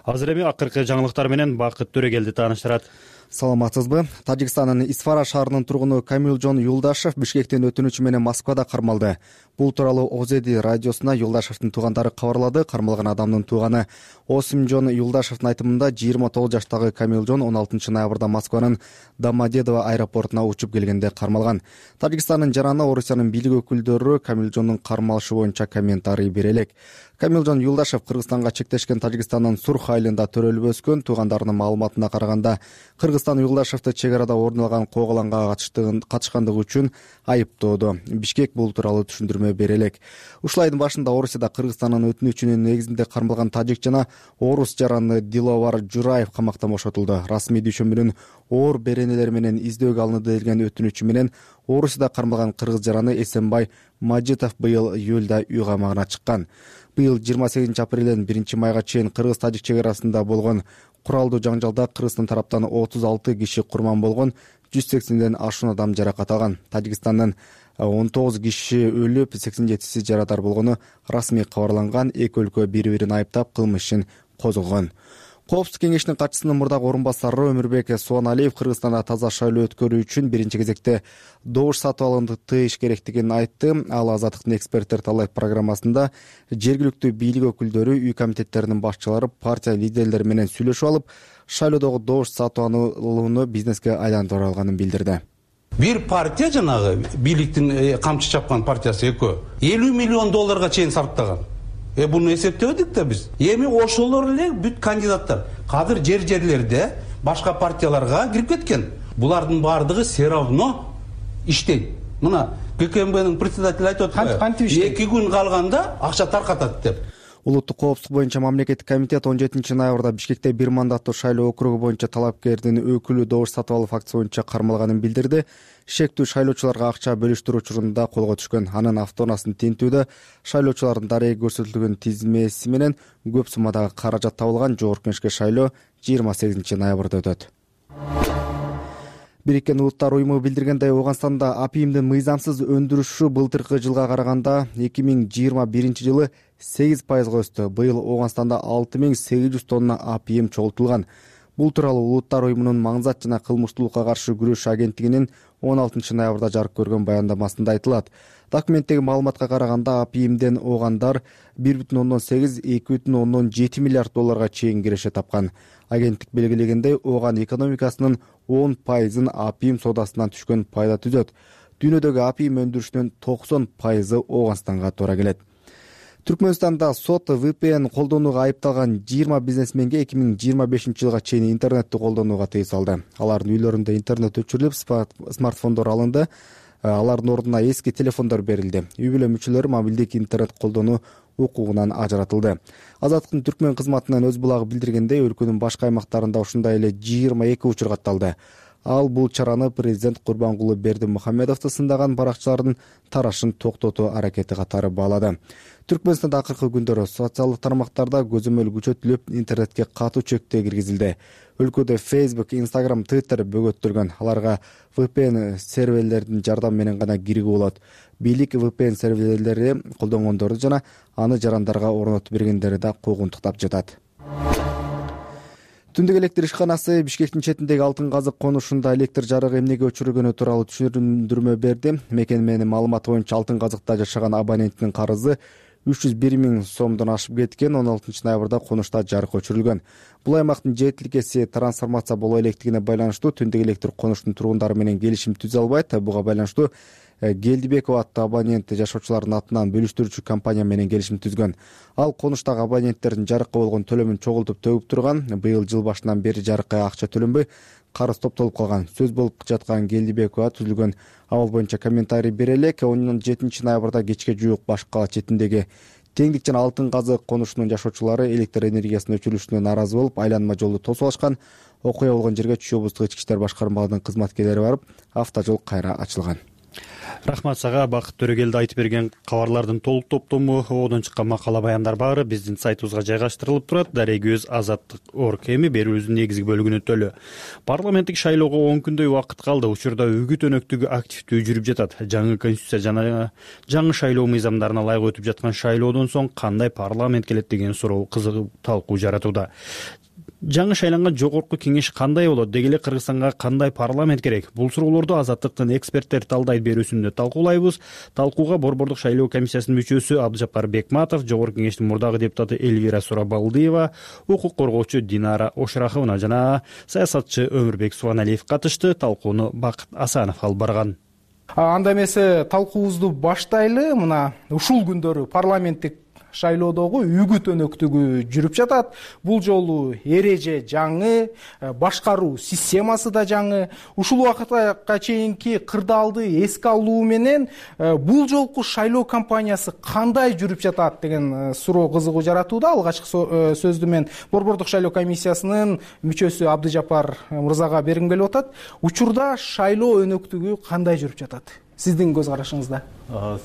Азыр эми акыркы жаңылыктар менен Бакыт Төрөгелди тааныштырат. Саламатсызбы? Тажикстандын Исфара шаарынын тургуну Камилжон Юлдашев Бишкектен өтүнүчү менен Москвада кармалды. Бул тууралуу Озеди радиосуна Юлдашевдин туугандары кабарлады. Кармалган адамдын тууганы Осимжон Юлдашевдин айтымында 29 жаштагы Камилжон 16 ноябрда Москванын Домодедово аэропортуна учуп келгенде кармалган. Тажикстандын жараны Орусиянын бийлик өкүлдөрү Камилжондун кармалышы боюнча комментарий бере элек. Камилжон Юлдашев Кыргызстанга чектешкен Тажикстандын Сурх айылында төрөлүп өскөн. Туугандарынын маалыматына караганда Кыргызстан Юлдашевди чек арада орун алган кооголанга катышкандыгы үчүн айыптоодо. Бишкек бул тууралуу түшүндүрмө бере элек. Ушул айдын башында Орусияда Кыргызстандын өтүнүчүнүн негизинде кармалган тажик жана орус жараны Диловар Жураев камактан бошотулду. Расмий дүйшөмбүнүн оор беренелери менен издөөгө алынды деген өтүнүчү менен Орусияда кармалган кыргыз жараны Эсенбай Мажитов быйыл июлда үй камагына чыккан. Быйыл 28 апрелден 1 майга чейин кыргыз-тажик чек арасында болгон куралдуу жаңжалда Кыргызстан тараптан 36 киши курман болгон, 180ден ашуун адам жаракат алган. Тажикстандын 19 киши өлүп, 87си жарадар болгону расмий кабарланган. Эки өлкө бири-бирин айыптап кылмыш ишин козгогон. Коопсуздук кеңешинин катчысынын мурдагы орун басары Өмүрбек Суаналиев Кыргызстанда таза шайлоо өткөрүү үчүн биринчи кезекте добуш сатып алууну тыйыш керектигин айтты. Ал Азаттыктын эксперттер талайт программасында жергиликтүү бийлик өкүлдөрү, үй комитеттеринин башчылары, партия лидерлери менен сүйлөшүп алып, шайлоодогу добуш сатып алууну бизнеске айландырып алганын билдирди. Бир партия жанагы бийликтин камчы чапкан партиясы экөө $50 миллион чейин сарптаган. Буну эсептебедик да биз. Эми ошолор эле бүт кандидаттар кадыр жерлерде башка партияларга кирип кеткен. Булардын бардыгы все равно иштейт. Мына ГКМБнын председатели айтып атты. 2 күн калганда акча таркатат деп. Улуттук коопсуздук боюнча мамлекеттик комитет 17 ноябрда Бишкекте бир мандаттуу шайлоо округу боюнча талапкердин өкүлү добуш сатып алуу фактысы боюнча кармалганын билдирди. Шектүү шайлоочуларга акча бөлүштүрүү учурунда колго түшкөн. Анын автоунаасынын тинтүүдө шайлоочулардын дареги көрсөтүлгөн тизмеси менен көп суммадагы каражат табылган. Жогорку кеңешке шайлоо 28 ноябрда өтөт. Бириккен Улуттар уюму билдиргендей, Ооганстанда апийимдин мыйзамсыз өндүрүшү былтыркы жылга караганда 2021 жылы 8% өстү. Быйыл Ооганстанда 6800 тонна апийим чогултулган. Бул тууралуу Улуттар уюмунун маңзат жана кылмыштуулукка каршы күрөш агенттигинин 16 ноябрда жарык көргөн баяндамасында айтылат. Документтеги маалыматка караганда апийимден оогандар 1,8–2,7 миллиард долларга чейин киреше тапкан. Агенттик белгилегендей, ооган экономикасынын 10%-ын апийим соодасынан түшкөн пайда түзөт. Дүйнөдөгү апийим өндүрүшүнүн 90% Ооганстанга туура келет. Түркмөнстанда сот VPN колдонууга айыпталган 20 бизнесменге 2025 жылга чейин интернетти колдонууга тыюу салды. Алардын үйлөрүндө интернет өчүрүлүп, смартфондор алынды. Алардын ордуна эски телефондор берилди. Үй бүлө мүчөлөрү мобилдик интернет колдонуу укугунан ажыратылды. Азаттыктын түркмөн кызматынан өз булагы билдиргендей, өлкөнүн башка аймактарында ушундай эле 22 учур катталды. Ал бул чараны президент Курбангулы Бердимухамедовду сындаган баракчылардын тарашын токтотуу аракети катары баалады. Түркмөнстанда акыркы күндөрү социалдык тармактарда көзөмөл күчөтүлүп, интернетке катуу чектөө киргизилди. Өлкөдө Facebook, Instagram, Twitter бөгөттөлгөн. Аларга VPN серверлердин жардамы менен гана кирүүгө болот. Бийлик VPN серверлери колдонгондорду жана аны жарандарга орнотуп бергендерди да куугунтуктап жатат. Түндүк электр ишканасы Бишкектин четиндеги Алтын казык конушунда электр жарыгы эмнеге өчүрүлгөнү тууралуу түшүндүрмө берди. Мекеменин маалыматы боюнча Алтын казыкта жашаган абоненттин карызы 301 000 сомдон ашып кеткен. 16 ноябрда конушта жарык өчүрүлгөн. Бул аймактын жетиликеси трансформация боло электигине байланыштуу түндүк электр конуштун тургундары менен келишим түзө албайт. Буга байланыштуу Гелдибекова аттуу абонент жашоочулардын атынан бөлүштүрүүчү компания менен келишим түзгөн. Ал конуштагы абоненттердин жарыкка болгон төлөмүн чогултуп төгүп турган. Быйыл жыл башынан бери жарыкка акча төлөнбөй, карыз топтолуп калган. Сөз болуп жаткан Гелдибекова түзүлгөн абал боюнча комментарий бере элек. 17 ноябрда кечке жуук Баш кала четиндеги Теңдик жана Алтын казык конушунун жашоочулары электр энергиясынын өчүрүлүшүнө нааразы болуп, айланма жолду тосуп алышкан. Окуя болгон жерге Чүй облустук ички иштер башкармалыгынын кызматкерлери барып, автожол кайра ачылган. Рахмат сага. Бакыт Төрөгелди айтып берген кабарлардын толук топтому, одон чыккан макала баяндар баары биздин сайтыбызга жайгаштырылып турат. Дарегөз Азаттык.org эми берүүбүздүн негизги бөлүгүнө өтөлү. Парламенттик шайлоого 10 күндөй убакыт калды. Учурда үгүт өнөктүгү активдүү жүрүп жатат. Жаңы конституция жана жаңы шайлоо мыйзамдарына ылайык өтүп жаткан шайлоодон соң кандай парламент келет деген суроо кызык талкуу жаратууда. Жаңы шайланган жогорку кеңеш кандай болот? Деги эле Кыргызстанга кандай парламент керек? Бул суроолорду Азаттыктын эксперттер талдайт берүүсүндө талкуулайбыз. Талкууга Борбордук шайлоо комиссиясынын мүчөсү Абдыжапар Бекматов, жогорку кеңештин мурдагы депутаты Эльвира Сурабалдиева, укук коргоочу Динара Ошраховна жана саясатчы Өмүрбек Субаналиев катышты. Талкууну Бакыт Асанов алып барган. Анда эмесе талкуубузду баштайлы. Мына ушул күндөрү парламенттик шайлоодогу үгүт өнөктүгү жүрүп жатат. Бул жолу эреже жаңы, башкаруу системасы да жаңы. Ушул убакытка чейинки кырдаалды эске алуу менен бул жолку шайлоо кампаниясы кандай жүрүп жатат деген суроо кызыгуу жаратууда. Алгачкы сөздү мен Борбордук шайлоо комиссиясынын мүчөсү Абдыжапар мырзага бергим келип атат. Учурда шайлоо өнөктүгү кандай жүрүп жатат? Сиздин көз карашыңызда?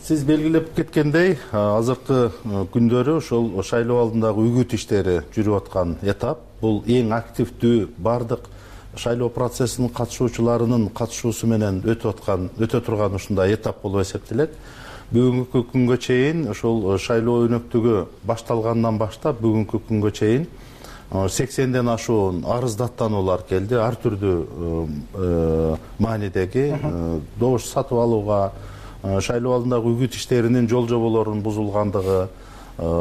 Сиз белгилеп кеткендей, азыркы күндөрү ошол шайлоо алдындагы үгүт иштери жүрүп аткан этап. Бул эң активдүү бардык шайлоо процессинин катышуучуларынын катышуусу менен өтө турган ушундай этап болуп эсептелет. Бүгүнкү күнгө чейин ошол шайлоо өнөктүгү башталгандан баштап бүгүнкү күнгө чейин 80ден ашуун арыздаттануулар келди. Ар түрдүү маанидеги добуш сатып алууга, шайлоо алдындагы үгүт иштеринин жол жоболорунун бузулгандыгы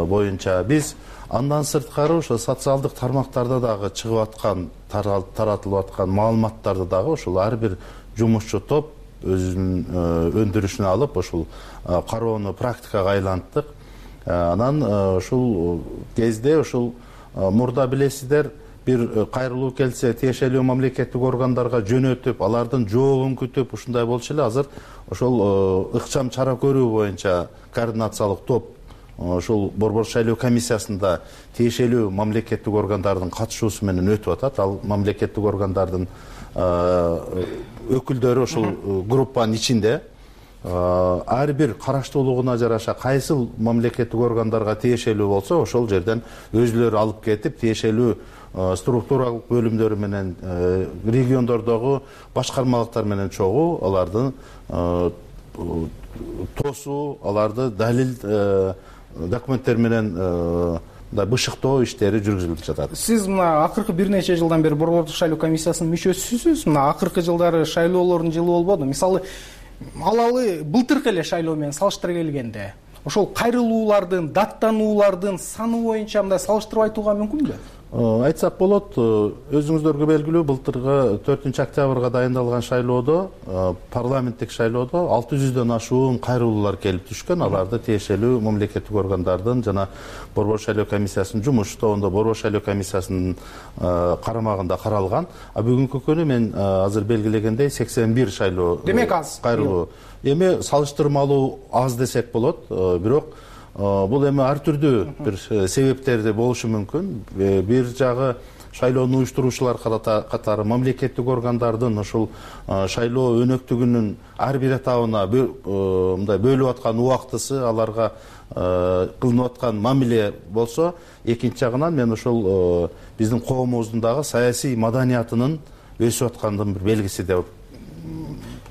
боюнча биз андан сырткары ошо социалдык тармактарда дагы чыгып аткан, таратылып аткан маалыматтарды дагы ошол ар бир жумушчу топ өзүнүн өндүрүшүнө алып ошол кароону практикага айланттык. Анан ушул кезде ушул мурда билесиздер, бир кайрылуу келсе тиешелүү мамлекеттик органдарга жөнөтүп, алардын жообун күтүп ушундай болчу эле. Азыр ошол ыкчам чара көрүү боюнча координациялык топ ошол Борбордук шайлоо комиссиясында тиешелүү мамлекеттик органдардын катышуусу менен өтүп атат. Ал мамлекеттик органдардын өкүлдөрү ошол группанын ичинде. Ар бир караштуулугуна жараша кайсыл мамлекеттик органдарга тиешелүү болсо ошол жерден өзүлөрү алып кетип, тиешелүү структуралык бөлүмдөрү менен региондордогу башкармалыктар менен чогуу алардын тосуу, аларды далил документтер менен бышыктоо иштери жүргүзүлүп жатат. Сиз мына акыркы бир нече жылдан бери Борбордук шайлоо комиссиясынын мүчөсүсүз. Мына акыркы жылдары шайлоолордун жылы болбоду. Мисалы, алалы былтыркы эле шайлоо менен салыштыра келгенде ошол кайрылуулардын, даттануулардын саны боюнча мындай салыштырып айтууга мүмкүнбү? Айтсак болот, өзүңүздөргө белгилүү, былтыркы 4-октябрга дайындалган шайлоодо, парламенттик шайлоодо 600дөн ашуун кайрылуулар келип түшкөн. Аларды тиешелүү мамлекеттик органдардын жана Борбор шайлоо комиссиясынын жумуш тобунда Борбор шайлоо комиссиясынын карамагында каралган. Бүгүнкү күнү мен азыр белгилегендей 81 шайлоо кайрылуу. Эми салыштырмалуу аз десек болот, бирок бул эми ар түрдүү бир себептерди болушу мүмкүн. Бир жагы шайлоону уюштуруучулар катары мамлекеттик органдардын ушул шайлоо өнөктүгүнүн ар бир этабына мындай бөлүп аткан убактысы, аларга кылынып аткан мамиле болсо, экинчи жагынан мен ушул биздин коомубуздун дагы саясий маданиятынын өсүп аткандын бир белгиси деп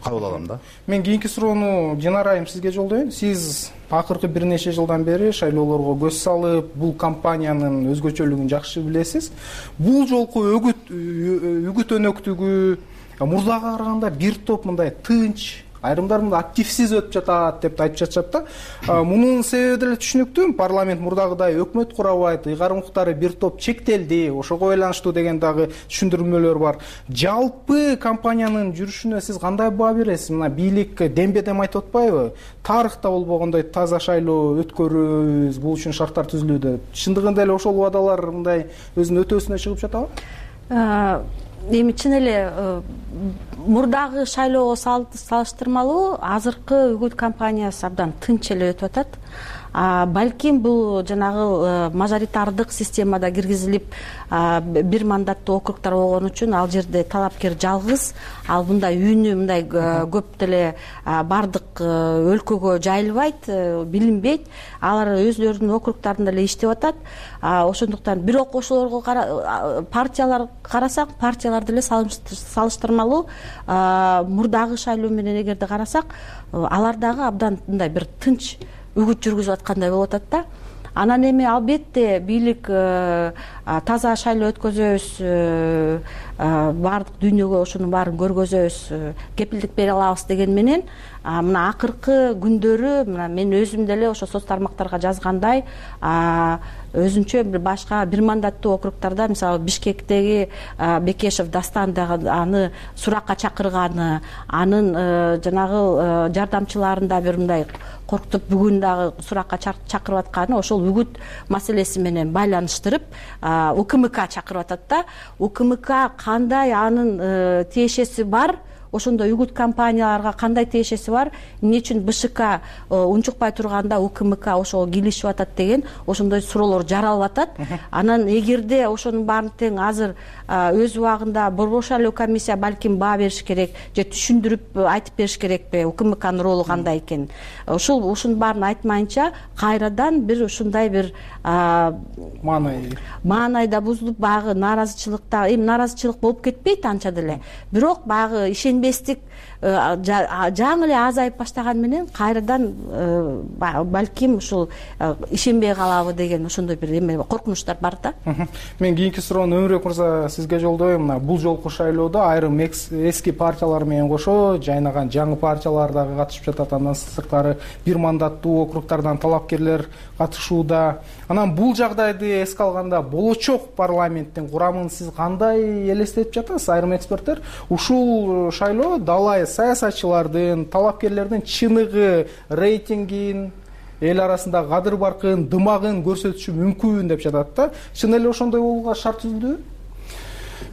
кабыл алам да. Мен кийинки суроону Динара айым сизге жолдоюн. Сиз акыркы бир нече жылдан бери шайлоолорго көз салып, бул кампаниянын өзгөчөлүгүн жакшы билесиз. Бул жолку үгүт өнөктүгү мурдага караганда бир топ мындай тынч, айрымдар мында активсиз өтүп жатат деп айтып жатышат да. Мунун себеби деле түшүнүктүү. Парламент мурдагыдай өкмөт курабайт, ыйгарым укуктары бир топ чектелди, ошого байланыштуу деген дагы түшүндүрмөлөр бар. Жалпы компаниянын жүрүшүнө сиз кандай баа бересиз? Мына бийлик дембедем айтып атпайбы? Тарыхта болбогондой таза шайлоо өткөрөбүз, бул үчүн шарттар түзүлүүдө. Чындыгында эле ошол убадалар мындай өзүнүн өтөөсүнө чыгып жатабы? Эми чын эле мурдагы шайлоого салыштырмалуу азыркы үгүт кампаниясы абдан тынч эле өтүп атат. Балким бул жанагы мажоритардык системада киргизилип бир мандаттуу округтар болгон үчүн ал жерде талапкер жалгыз, ал мындай үнү мындай көп деле бардык өлкөгө жайылбайт, билинбейт. Алар өзлөрүнүн округтарында эле иштеп атат. Ошондуктан бирок ошолорго партиялар карасак, партиялар деле салыштырмалуу мурдагы шайлоо менен эгерде карасак, алар дагы абдан мындай бир тынч үгүт жүргүзүп аткандай болуп атат да. Анан эми албетте бийлик таза шайлоо өткөзөбүз, баардык дүйнөгө ошонун баарын көргөзөбүз, кепилдик бере алабыз деген менен мына акыркы күндөрү мына мен өзүм деле ошо соц тармактарга жазгандай өзүнчө бир башка бир мандаттуу округтарда, мисалы Бишкектеги Бекешев Дастан дагы аны суракка чакырганы, анын жанагы жардамчыларын да бир мындай коркутуп бүгүн дагы суракка чакырып атканы ошол үгүт маселеси менен байланыштырып УКМК чакырып атат да. УКМК кандай анын тиешеси бар, ошондой үгүт компанияларга кандай тиешеси бар, эмне үчүн БШК унчукпай турганда УКМК ошого кийлешип атат деген ошондой суроолор жаралып атат. Анан эгерде ошонун баарын тең азыр өз убагында Борбор шайлоо комиссия балким баа бериш керек же түшүндүрүп айтып бериш керекпи УКМКнын ролу кандай экенин. Ушунун баарын айтмайынча кайрадан бир ушундай бир маанайда бузулуп багы нааразычылыкта, эми нааразычылык болуп кетпейт анча деле. Бирок багы ишенбестик жаңы эле азайып баштаган менен кайрадан балким ушул ишенбей калабы деген ошондой бир эме коркунучтар бар да. Мен кийинки суроону Өмүрбек мырза сизге жолдойм. Мына бул жолку шайлоодо айрым эски партиялар менен кошо жайнаган жаңы партиялар дагы катышып жатат. Андан сырткары бир мандаттуу округтардан талапкерлер катышууда. Анан бул жагдайды эске алганда болочок парламенттин курамын сиз кандай элестетип жатасыз? Айрым эксперттер ушул шайлоо далай саясатчылардын, талапкерлердин чыныгы, рейтингин, эл арасында кадыр баркын, дымагын көрсөтүшү мүмкүн деп жатат да. Чын эле ошондой болууга шарт түзүлдүбү?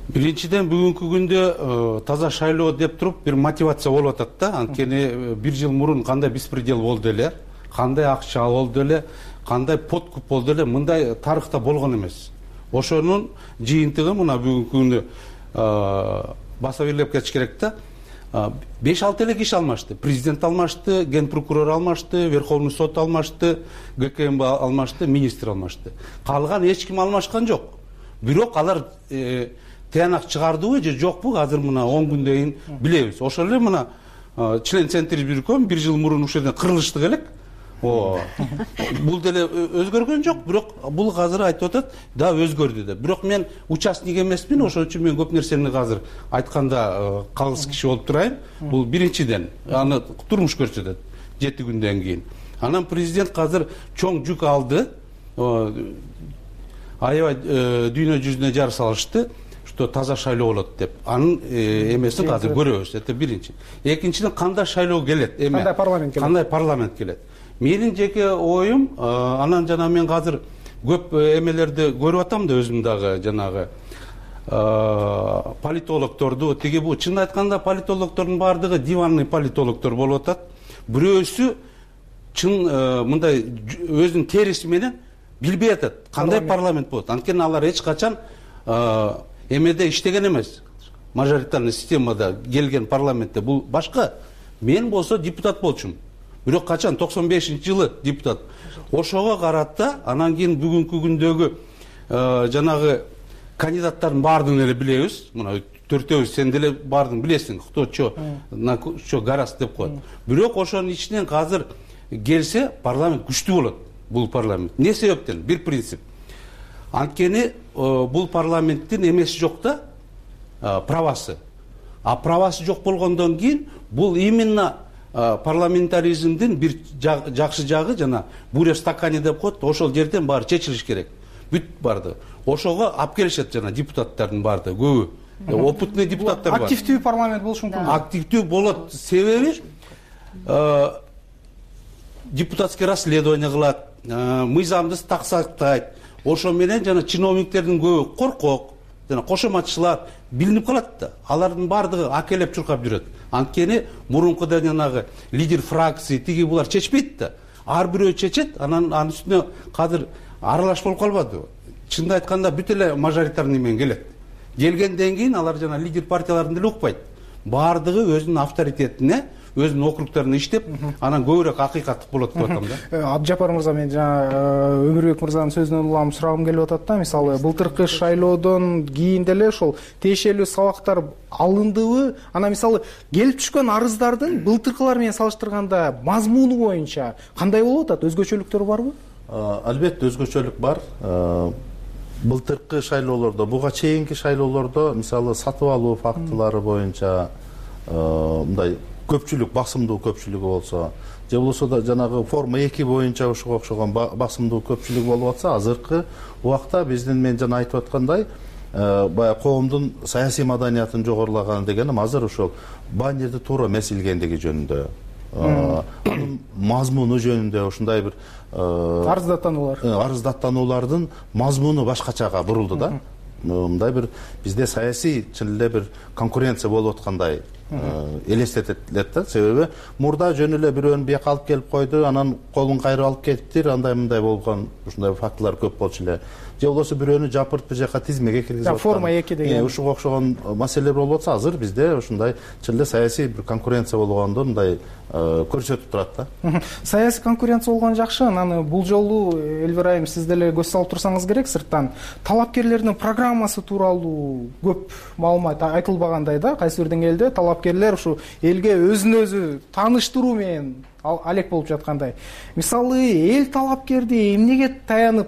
Биринчиден бүгүнкү күндө таза шайлоо деп туруп бир мотивация болуп атат да. Анткени бир жыл мурун кандай беспредел болду эле, кандай акча болду эле, кандай подкуп болду эле, мындай тарыхта болгон эмес. Ошонун жыйынтыгы мына бүгүнкү күндө баса бирлеп кетиш керек да. 5-6 эле киши алмашты. Президент алмашты, ген прокурор алмашты, Верховный сот алмашты, ГКМБ алмашты, министр алмашты. Калган эч ким алмашкан жок. Бирок алар тыянак чыгардыбы же жокпу азыр мына 10 күндөн кийин билебиз. Ошол эле мына член Центр бирком бир жыл мурун ушул жерден кырылыштык элек. Бул деле өзгөргөн жок, бирок бул азыр айтып атат, да өзгөрдү деп. Бирок мен участник эмесмин, ошон үчүн мен көп нерсени азыр айтканда калыс киши болуп турайын. Бул биринчиден, аны турмуш көрсөтөт 7 күндөн кийин. Анан президент азыр чоң жүк алды. Аябай дүйнө жүзүнө жар салышты, что таза шайлоо болот деп. Анын эмесин азыр көрөбүз. Это биринчи. Экинчиден кандай шайлоо келет? Кандай парламент келет? Кандай парламент келет? Менин жеке оюм, анан жана мен азыр көп эмелерди көрүп атам да өзүм дагы жанагы политологторду, тиги бу чын айтканда политологтордун баардыгы диванный политологтор болуп атат. Бирөөсү чын мындай өзүнүн териси менен билбей атат кандай парламент болот. Анткени алар эч качан эмеде иштеген эмес, мажоритарный системада келген парламентте. Бул башка. Мен болсо депутат болчумун. Бирок качан 95-жылы депутат. Ошого карата анан кийин бүгүнкү күндөгү жанагы кандидаттардын баардыгын эле билебиз. Мына төртөөбүз, сен деле баардыгын билесиң. Кто гарас деп коет. Бирок ошонун ичинен азыр келсе парламент күчтүү болот. Бул парламент. Не себептен? Бир принцип. Анткени бул парламенттин эмеси жок да, правасы. А правасы жок болгондон кийин бул именно парламентаризмдин бир жакшы жагы, жана буря в стакане деп коет, ошол жерден баары чечилиш керек. Бүт барды. Ошого алып келишет жана депутаттардын баарды көбү. Опытный депутаттар бар. Активдүү парламент болуш мүмкүн. Активдүү болот. Себеби депутатский расследование кылат, мыйзамды так сактайт. Ошо менен жана чиновниктердин көбү коркок, жана кошоматчылар билинип калат да. Алардын баардыгы акелеп чуркап жүрөт. Анткени мурункуда жанагы лидер фракции тиги булар чечпейт да. Ар бирөө чечет, анан анын үстүнө кадыр аралаш болуп калбады. Чынды айтканда бүт эле мажоритарный менен келет. Келгенден кийин алар жана лидер партияларын деле укпайт. Баардыгы өзүнүн авторитетине, өзүнүн округдорунда иштеп, анан көбүрөөк акыйкаттык болот деп атам да. Абдыжапар мырза, мен жана Өмүрбек мырзанын сөзүнөн улам сурагым келип атат да. Мисалы, былтыркы шайлоодон кийин деле ошол тиешелүү сабактар алындыбы? Анан мисалы, келип түшкөн арыздардын былтыркылар менен салыштырганда мазмуну боюнча кандай болуп атат? Өзгөчөлүктөр барбы? Албетте өзгөчөлүк бар. Былтыркы шайлоолордо, буга чейинки шайлоолордо мисалы сатып алуу фактылары боюнча мындай көпчүлүк, басымдуу көпчүлүгү болсо, же болбосо да жанагы форма 2 боюнча ошого окшогон басымдуу көпчүлүк болуп атса, азыркы убакта биздин мен жана айтып аткандай баягы коомдун саясий маданиятын жогорулаган дегеним азыр ошол баннерди туура эмес илгендиги жөнүндө, анын мазмуну жөнүндө ушундай бир арыздаттануулардын мазмуну башкачага бурулду да. Мындай бир бизде саясий чын эле бир конкуренция болуп аткандай элестетет да. Себеби мурда жөн эле бирөөнү бияка алып келип койду, анан колун кайрып алып кетиптир, андай мындай болгон ушундай фактылар көп болчу эле. Же болбосо бирөөнү жапырып бир жака тизмеге киргизип аткан. Форма 2 деген. Ушуга окшогон маселелер болуп атса, азыр бизде ушундай чын эле саясий бир конкуренция болгондо мындай көрсөтүп турат да. Саясий конкуренция болгон жакшы. Анан бул жолу Элвир айым, сиз деле көз салып турсаңыз керек, сырттан талапкерлердин программасы тууралуу көп маалымат айтылбагандай да. Кайсы бир деңгээлде талапкерлер ушу элге өзүн өзү тааныштыруу менен алек болуп жаткандай. Мисалы, эл талапкерди эмнеге таянып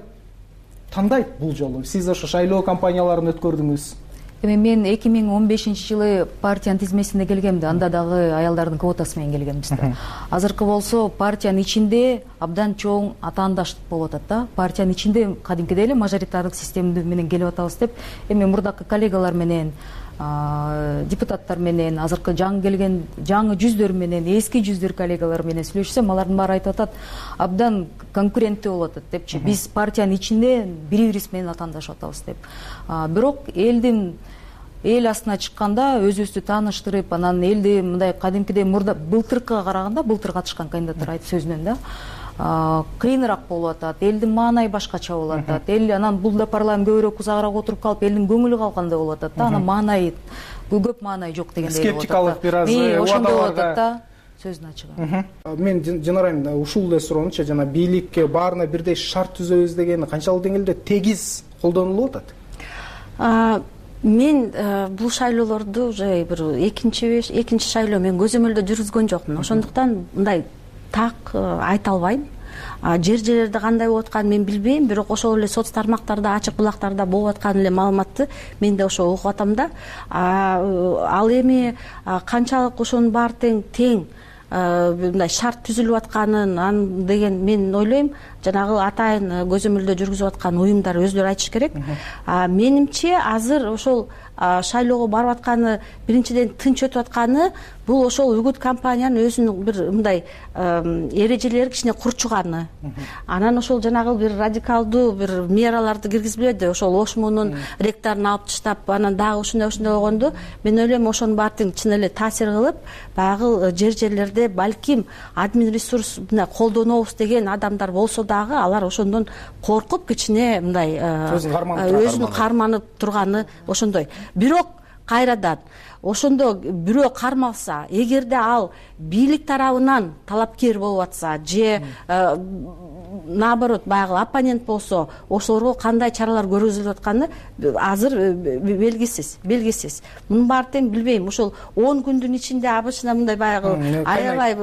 тандайт бул жолу? Сиз ошо шайлоо кампанияларын өткөрдүңүз. Эми мен 2015-жылы партиянын тизмесине келгемди. Анда дагы аялдардын квотасы менен келгенбиз да. Азыркы болсо партиянын ичинде абдан чоң атаандаштык болуп атат да. Партиянын ичинде кадимкидей эле мажоритардык система менен келип атабыз деп, эми мурдакы коллегалар менен, депутаттар менен, азыркы жаңы келген жаңы жүздөр менен, эски жүздөр коллегалар менен сүйлөшсөм, алардын баары айтып атат, абдан конкуренттүү болуп атат депчи. Биз партиянын ичинде бири-бирибиз менен атаандашып атабыз деп. Бирок эл астына чыкканда өзүбүздү тааныштырып, анан элди мындай кадимкидей мурда былтыркыга караганда, былтыр катышкан кандидаттар айтып сөзүнөн да кыйыныраак болуп атат. Элдин маанайы башкача болуп атат. Эл анан бул да парламент көбүрөөк узагыраак отуруп калып, элдин көңүлү калгандай болуп атат да. Анан маанайы көп маанайы жок дегендей болуп атат. Скептикалык бир аз ошондой болуп атат да. Сөзүн ачыгы. Мен жанарайым ушул эле суроонучу, жана бийликке баарына бирдей шарт түзөбүз деген канчалык деңгээлде тегиз колдонулуп атат? Мен бул шайлоолорду уже бир экинчи шайлоо мен көзөмөлдө жүргүзгөн жокмун. Ошондуктан мындай так айта албайм. Жер-жерлерде кандай болуп атканын мен билбейм, бирок ошол эле соц тармактарда, ачык булактарда болуп аткан эле маалыматты мен да ошо угуп атам да. Ал эми канчалык ошонун баары тең мындай шарт түзүлүп атканын деген мен ойлойм, жанагы атайын көзөмөлдө жүргүзүп аткан уюмдар өздөрү айтыш керек. Менимче азыр ошол шайлоого барып атканы, биринчиден тынч өтүп атканы, бул ошол үгүт компаниянын өзүнүн бир мындай эрежелери кичине курчуганы. Анан ошол жанагы бир радикалдуу бир мераларды киргизбейди, ошол ошмунун ректорун алып таштап, анан дагы ушундай болгондо, мен ойлойм ошонун баары чын эле таасир кылып, баягы жер-жерлерде жерде балким админ ресурс мындай колдонобуз деген адамдар болсо дагы алар ошондон коркуп кичине мындай өзүн карманып турганы ошондой. Бирок кайрадан ошондо бирөө кармалса, эгерде ал бийлик тарабынан талапкер болуп атса же наоборот баягы оппонент болсо, ошолорго кандай чаралар көргөзүлүп атканы азыр белгисиз. Мунун баары тең билбейм. Ошол 10 күндүн ичинде обычно мындай баягы аябай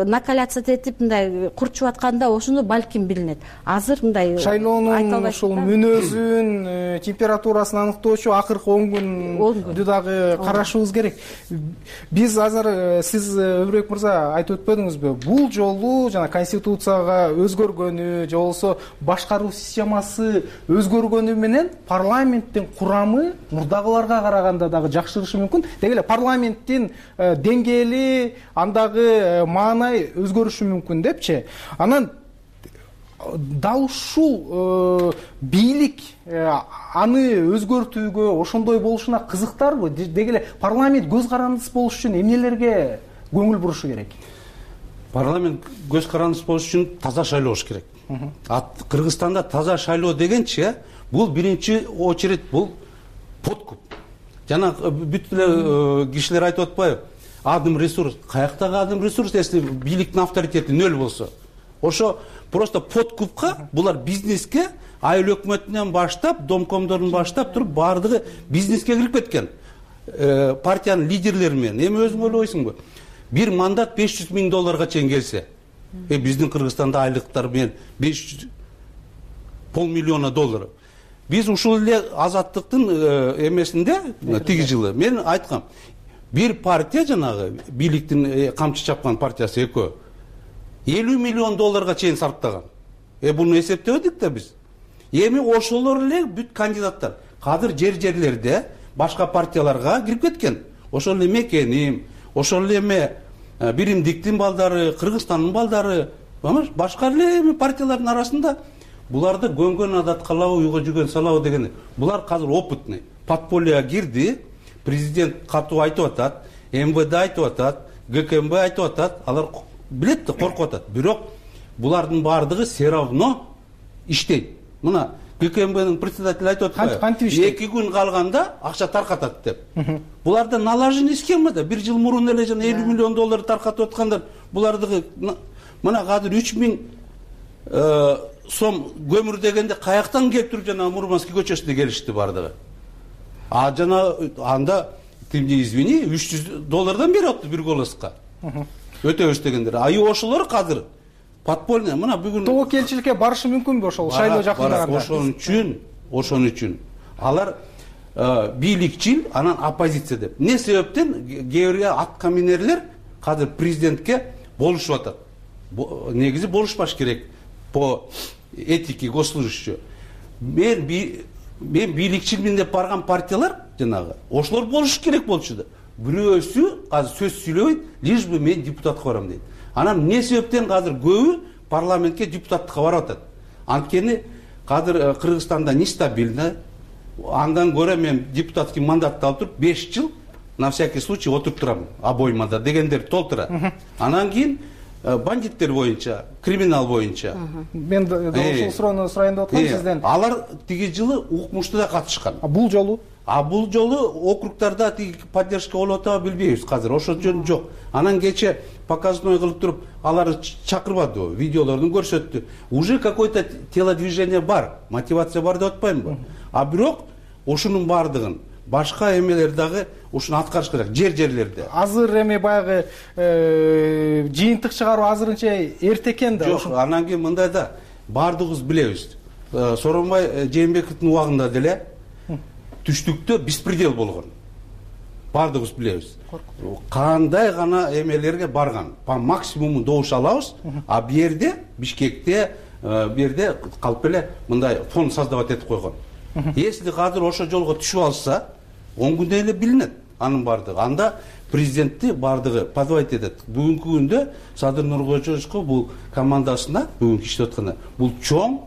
накаляться этип мындай курчуп атканда ошондо балким билинет. Азыр мындай шайлоонун ошол мүнөзүн, температурасын аныктоочу акыркы 10 күндү дагы карашыбыз керек. Биз азыр сиз Өбүрөк мырза айтып өтпөдүңүзбү? Бул жолу жана конституцияга өзгөргөнү же болбосо башкаруу системасы өзгөргөнү менен парламенттин курамы мурдагыларга караганда дагы жакшырышы мүмкүн. Деги эле парламенттин деңгээли, андагы маанай өзгөрүшү мүмкүн депчи. Анан дал ушул бийлик аны өзгөртүүгө ошондой болушуна кызыктарбы? Деги эле парламент көз карандысыз болуш үчүн эмнелерге көңүл бурушу керек? Парламент көз карандысыз болуш үчүн таза шайлоо болуш керек. Кыргызстанда таза шайлоо дегенчи, бул биринчи очередь бул подкуп. Жана бүт эле кишилер айтып атпайбы? Адым ресурс. Каяктагы адым ресурс, если бийликтин авторитети нөл болсо? Ошо просто подкупка, булар бизнеске, айыл өкмөтүнөн баштап, домкомдордун баштап туруп баардыгы бизнеске кирип кеткен. Партиянын лидерлери менен. Эми өзүң ойлойсуңбу? Bir мандат $500 000 чейин келсе, биздин Кыргызстанда айлыктар менен $500 миллион. Биз ушул эле азаттыктын эмесинде тиги жылы мен айткам, бир партия жанагы бийликтин камчы чапкан партиясы экөө $50 миллион чейин сарптаган. Буну эсептебедик да биз. Эми ошолор эле бүт кандидаттар кадыр жерлерде башка партияларга кирип кеткен. Ошол эле Мекеним, ошол эле Биримдиктин балдары, Кыргызстандын балдары, башка эле партиялардын арасында буларды көнгөн адат калабы, уйга жүргөн салабы деген. Булар азыр опытный. Подпольега кирди, президент катуу айтып атат, МВД айтып атат, ГКМБ айтып атат, алар билет да коркуп атат. Бирок булардын баардыгы все равно иштейт. Мына ГКМБнын председатели айтып атпайбы? 2 күн калганда акча таркатат деп. Буларда налаженный схема да. 1 жыл мурун эле жана $50 миллион таркатып аткандар. Булардыгы мына азыр 3000 сом көмүр дегенде каяктан келип туруп жана Мурманский көчөсүнө келишти баардыгы. Жана анда тимди извини $300 берип атты бир голоска. Өтөбүз дегендер. Ошолор азыр подпольный, мына бүгүн тобокелчиликке барышы мүмкүнбү ошол шайлоо жакындаганда? Ошон үчүн алар бийликчил, анан оппозиция деп. Не себептен кээ бир аткаминерлер азыр президентке болушуп атат. Негизи болушпаш керек по этике госслужащий. Мен бийликчилмин деп барган партиялар жанагы ошолор болуш керек болчу да. Бирөөсү азыр сөз сүйлөбөйт, лишь бы мен депутатка барам дейт. Анан не себептен азыр көбү парламентке депутаттыкка барып атат? Анткени азыр Кыргызстанда нестабильно. Андан көрө мен депутатский мандатты алып туруп 5 жыл на всякий случай отуруп турам обоймада дегендер толтура. Анан кийин бандиттер боюнча, криминал боюнча. Мен ошол суроону сурайын деп аткам сизден. Алар тиги жылы укмуштуда катышкан. Бул жолу? Бул жолу округдарда поддержка болуп атабы билбейбиз азыр. Ошол жөн жок. Анан кече показной кылып туруп аларды чакырбады, видеолорун көрсөттү. Уже какой-то телодвижение бар, мотивация бар деп атпаймынбы? Бирок ошонун баардыгын башка эмелер дагы ушуну аткарыш керек жерлерде. Азыр эми баягы жыйынтык чыгаруу азырынча эрте экен да. Жок, анан кийин мындай да баардыгыбыз билебиз. Сооронбай Жээнбековдун убагында деле түштүктө беспредел болгон. Баардыгыбыз билебиз. Кандай гана эмелерге барган. По максимуму добуш алабыз, а бу жерде Бишкекте бу жерде калп эле мындай фон создавать этип койгон. Если азыр ошо жолго түшүп алса, 10 күндөн эле билинет анын баардыгы. Анда президентти баардыгы позвать этет. Бүгүнкү күндө Садыр Нуркожоевго бул командасына бүгүнкү иштеп атканда бул чоң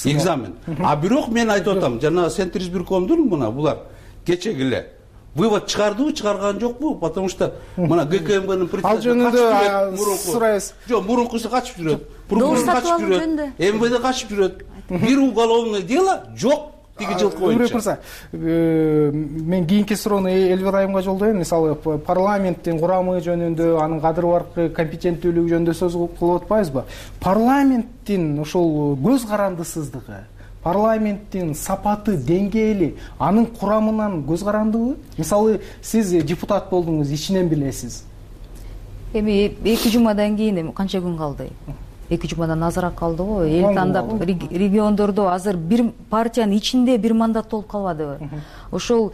экзамен. Бирок мен айтып атам, жана Центр избиркомдун мына булар кечеги эле вывод чыгардыбы, чыгарган жокпу? Потому что мына ГКМБнын председатели ал жөнүндө сурайбыз. Жок, мурункусы качып жүрөт. Прокурор качып жүрөт. МВД качып жүрөт. Бир уголовное дело жок. Мырза, мен кийинки суроону Эльвира айымга жолдойм. Мисалы парламенттин курамы жөнүндө, анын кадыр баркы компетенттүүлүгү жөнүндө сөз кылып атпайбызбы? Парламенттин ошол көз карандысыздыгы, парламенттин сапаты, деңгээли, анын курамынан көз карандыбы? Мисалы сиз депутат болдуңуз, ичинен билесиз. Эми 2 жумадан кийин канча күн калды? 2 жумадан азыраак калды го. Эл тандап региондордо азыр бир партиянын ичинде бир мандат болуп калбадыбы? Ошол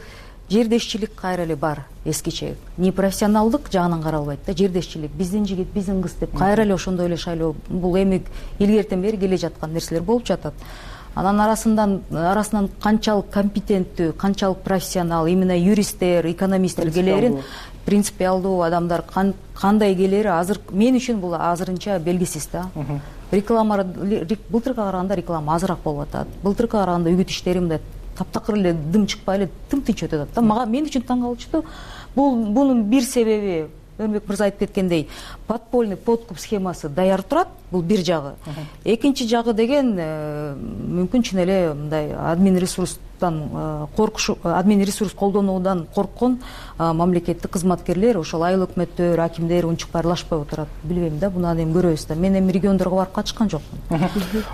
жердешчилик кайра эле бар эскиче. Непрофессионалдык жагынан каралбайт да, жердешчилик. Биздин жигит, биздин кыз деп кайра эле ошондой эле шайлоо. Бул эми илгертен бери келе жаткан нерселер болуп жатат. Анан арасынан канчалык компетенттүү, канчалык профессионал, именно юристтер, экономисттер келерин, принципиалдуу адамдар кандай келери азыр мен үчүн бул азырынча белгисиз да. Реклама былтыркыга караганда реклама азыраак болуп атат. Былтыркыга караганда үгүт иштери мындай таптакыр эле дым чыкпай эле тынч өтүп атат да. Мен үчүн таң калычтуу. Бунун бир себеби Өрмөк мырза айтып кеткендей, подпольный подкуп схемасы даяр турат, бул бир жагы. Экинчи жагы деген мүмкүн чын эле мындай админ ресурс колдонуудан корккон мамлекеттик кызматкерлер, ошол айыл өкмөттөр, акимдер унчук барлашпай отурат. Билбейм да, буну эми көрөбүз да. Мен эми региондорго барып катышкан жокмун.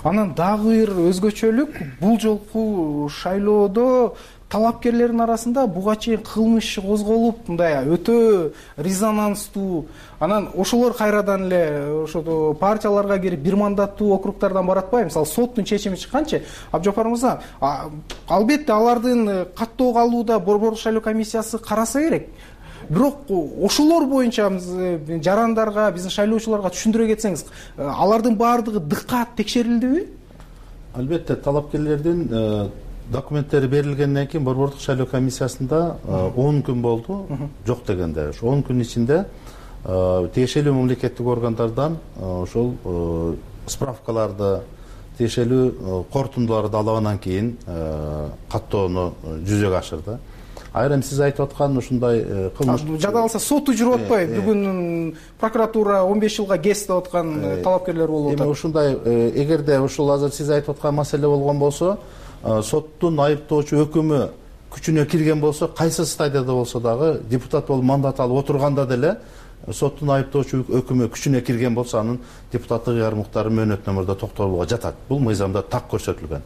Анан дагы бир өзгөчөлүк, бул жолку шайлоодо талапкерлердин арасында буга чейин кылмыш козголуп, мындай өтө резонанстуу, анан ошолор кайрадан эле ошо партияларга кирип бир мандаттуу округдардан баратпайбы? Мисалы соттун чечими чыкканчы, Абжапар мырза, албетте алардын каттоого алууда Борбордук шайлоо комиссиясы караса керек. Бирок ошолор боюнча жарандарга, биздин шайлоочуларга түшүндүрө кетсеңиз, алардын баардыгы дыккат текшерилдиби? Албетте, талапкерлердин документтери берилгенден кийин Борбордук шайлоо комиссиясында 10 күн болду, жок дегенде. Ошо 10 күн ичинде тиешелүү мамлекеттик органдардан ошол справкаларды, тиешелүү корутундуларды алгандан кийин каттоону жүзөгө ашырды. Айрым сиз айтып аткан ушундай кылмыш жада калса соту жүрүп атпайбы? Бүгүн прокуратура 15 жылга кес деп аткан талапкерлер болуп атат. Эми ушундай эгерде ушул азыр сиз айтып аткан маселе болгон болсо, соттун айыптоочу өкүмү күчүнө кирген болсо, кайсы стадияда болсо дагы депутат болуп мандат алып отурганда деле соттун айыптоочу өкүмү күчүнө кирген болсо, анын депутаттык ыярмыктары мөөнөттүү мурда токтолууга жатат. Бул мыйзамда так көрсөтүлгөн.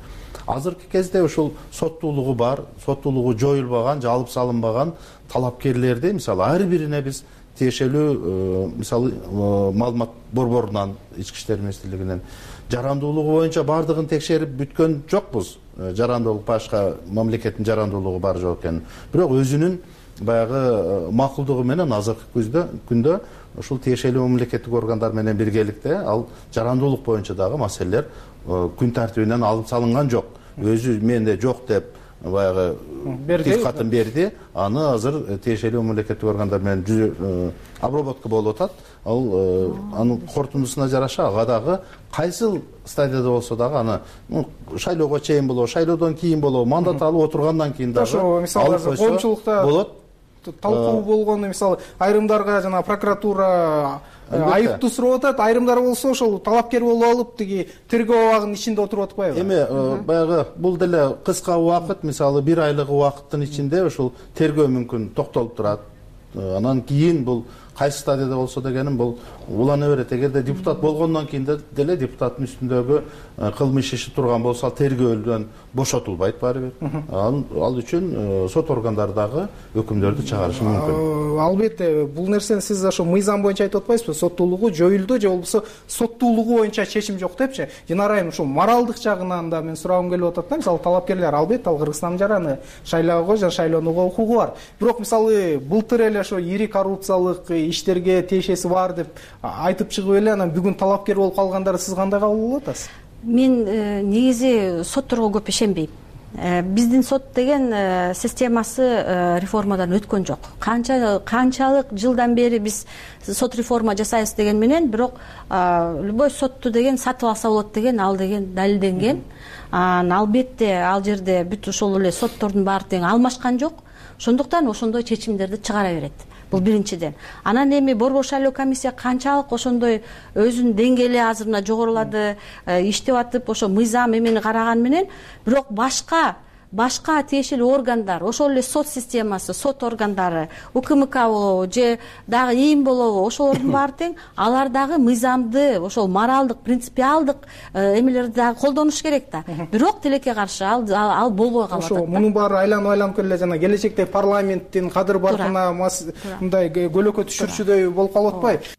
Азыркы кезде ушул соттуулугу бар, соттуулугу жоюлбаган же алып салынбаган талапкерлерди, мисалы, ар бирине биз тиешелүү мисалы маалымат борборунан, ички иштер министрлигинен жарандуулугу боюнча баардыгын текшерип бүткөн жокпуз. Жарандуулук башка мамлекеттин жарандуулугу бар жок экенин. Бирок өзүнүн баягы макулдугу менен азыркы күндө ушул тиешелүү мамлекеттик органдар менен биргеликте ал жарандуулук боюнча дагы маселелер күн тартибинен алып салынган жок. Өзү менде жок деп баягы тил катын берди. Аны азыр тиешелүү мамлекеттик органдар менен обработка болуп атат. Ал анын корутундусуна жараша ага дагы кайсыл стадияда болсо дагы аны шайлоого чейин болобу, шайлоодон кийин болобу, мандат алып отургандан кийин дагы ошо мисалы коомчулукта болот. Талкуу болгону, мисалы, айрымдарга жана прокуратура айыптуу сурап атат, айрымдар болсо ошол талапкер болуп алып тиги тергөө абагынын ичинде отуруп атпайбы? Эми баягы бул деле кыска убакыт, мисалы 1 айлык убакыттын ичинде ушул тергөө мүмкүн токтолуп турат. Анан кийин бул кайсы стадияда болсо дегеним бул улана берет. Эгерде депутат болгондон кийин деле депутаттын үстүндөгү кылмыш иши турган болсо, тергөөлдөн бошотулбайт баары бир. Ал үчүн сот органдары дагы өкүмдөрдү чыгарышы мүмкүн. Албетте, бул нерсени сиз ошо мыйзам боюнча айтып атпайсызбы? Соттуулугу жоюлду же болбосо соттуулугу боюнча чечим жок депчи. Динара айым, ушул моралдык жагынан да мен сурагым келип атат да. Мисалы, талапкерлер албетте ал Кыргызстандын жараны, шайлоого жана шайлоонууга укугу бар. Бирок мисалы былтыр эле ошо ири коррупциялык иштерге тиешеси бар деп айтып чыгып эле анан бүгүн талапкер болуп калгандарды сиз кандай кабыл кылып атасыз? Мен негизи сотторго көп ишенбейм. Биздин сот деген системасы реформадан өткөн жок. Канчалык жылдан бери биз сот реформа жасайбыз деген менен, бирок любой сотту деген сатып алса болот деген, ал деген далилденген. албетте ал жерде бүт ошол эле соттордун баары тең алмашкан жок, ошондуктан ошондой чечимдерди чыгара берет. Бул биринчиден. Анан эми борбор шайлоо комиссия канчалык ошондой өзүнүн деңгээли азыр мына жогорулады, иштеп атып ошо мыйзам эмени караган менен, бирок башка тиешелүү органдар, ошол эле сот системасы, сот органдары, УКМК болобу же дагы ИИМ болобу, ошолордун баары тең, алар дагы мыйзамды, ошол моралдык, принципиалдык эмелерди дагы колдонуш керек да. Бирок тилекке каршы ал болбой калат. Ошо мунун баары айланып келе жана келечекте парламенттин кадыр баркына мындай көлөкө түшүрчүдөй болуп калып атпайбы?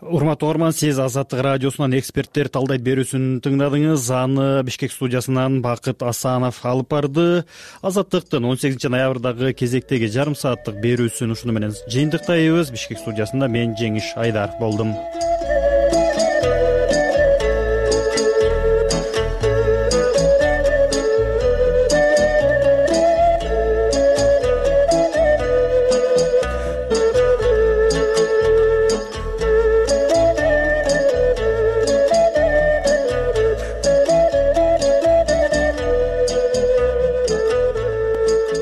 Урматтуу угарман, сиз Азаттык радиосунан эксперттер талдайт берүүсүн тыңдадыңыз. Аны Бишкек студиясынан Бакыт Асанов алып барды. Азаттыктын 18 ноябрдагы кезектеги жарым сааттык берүүсүн ушуну менен жыйынтыктайбыз. Бишкек студиясында мен Жеңиш Айдар болдум.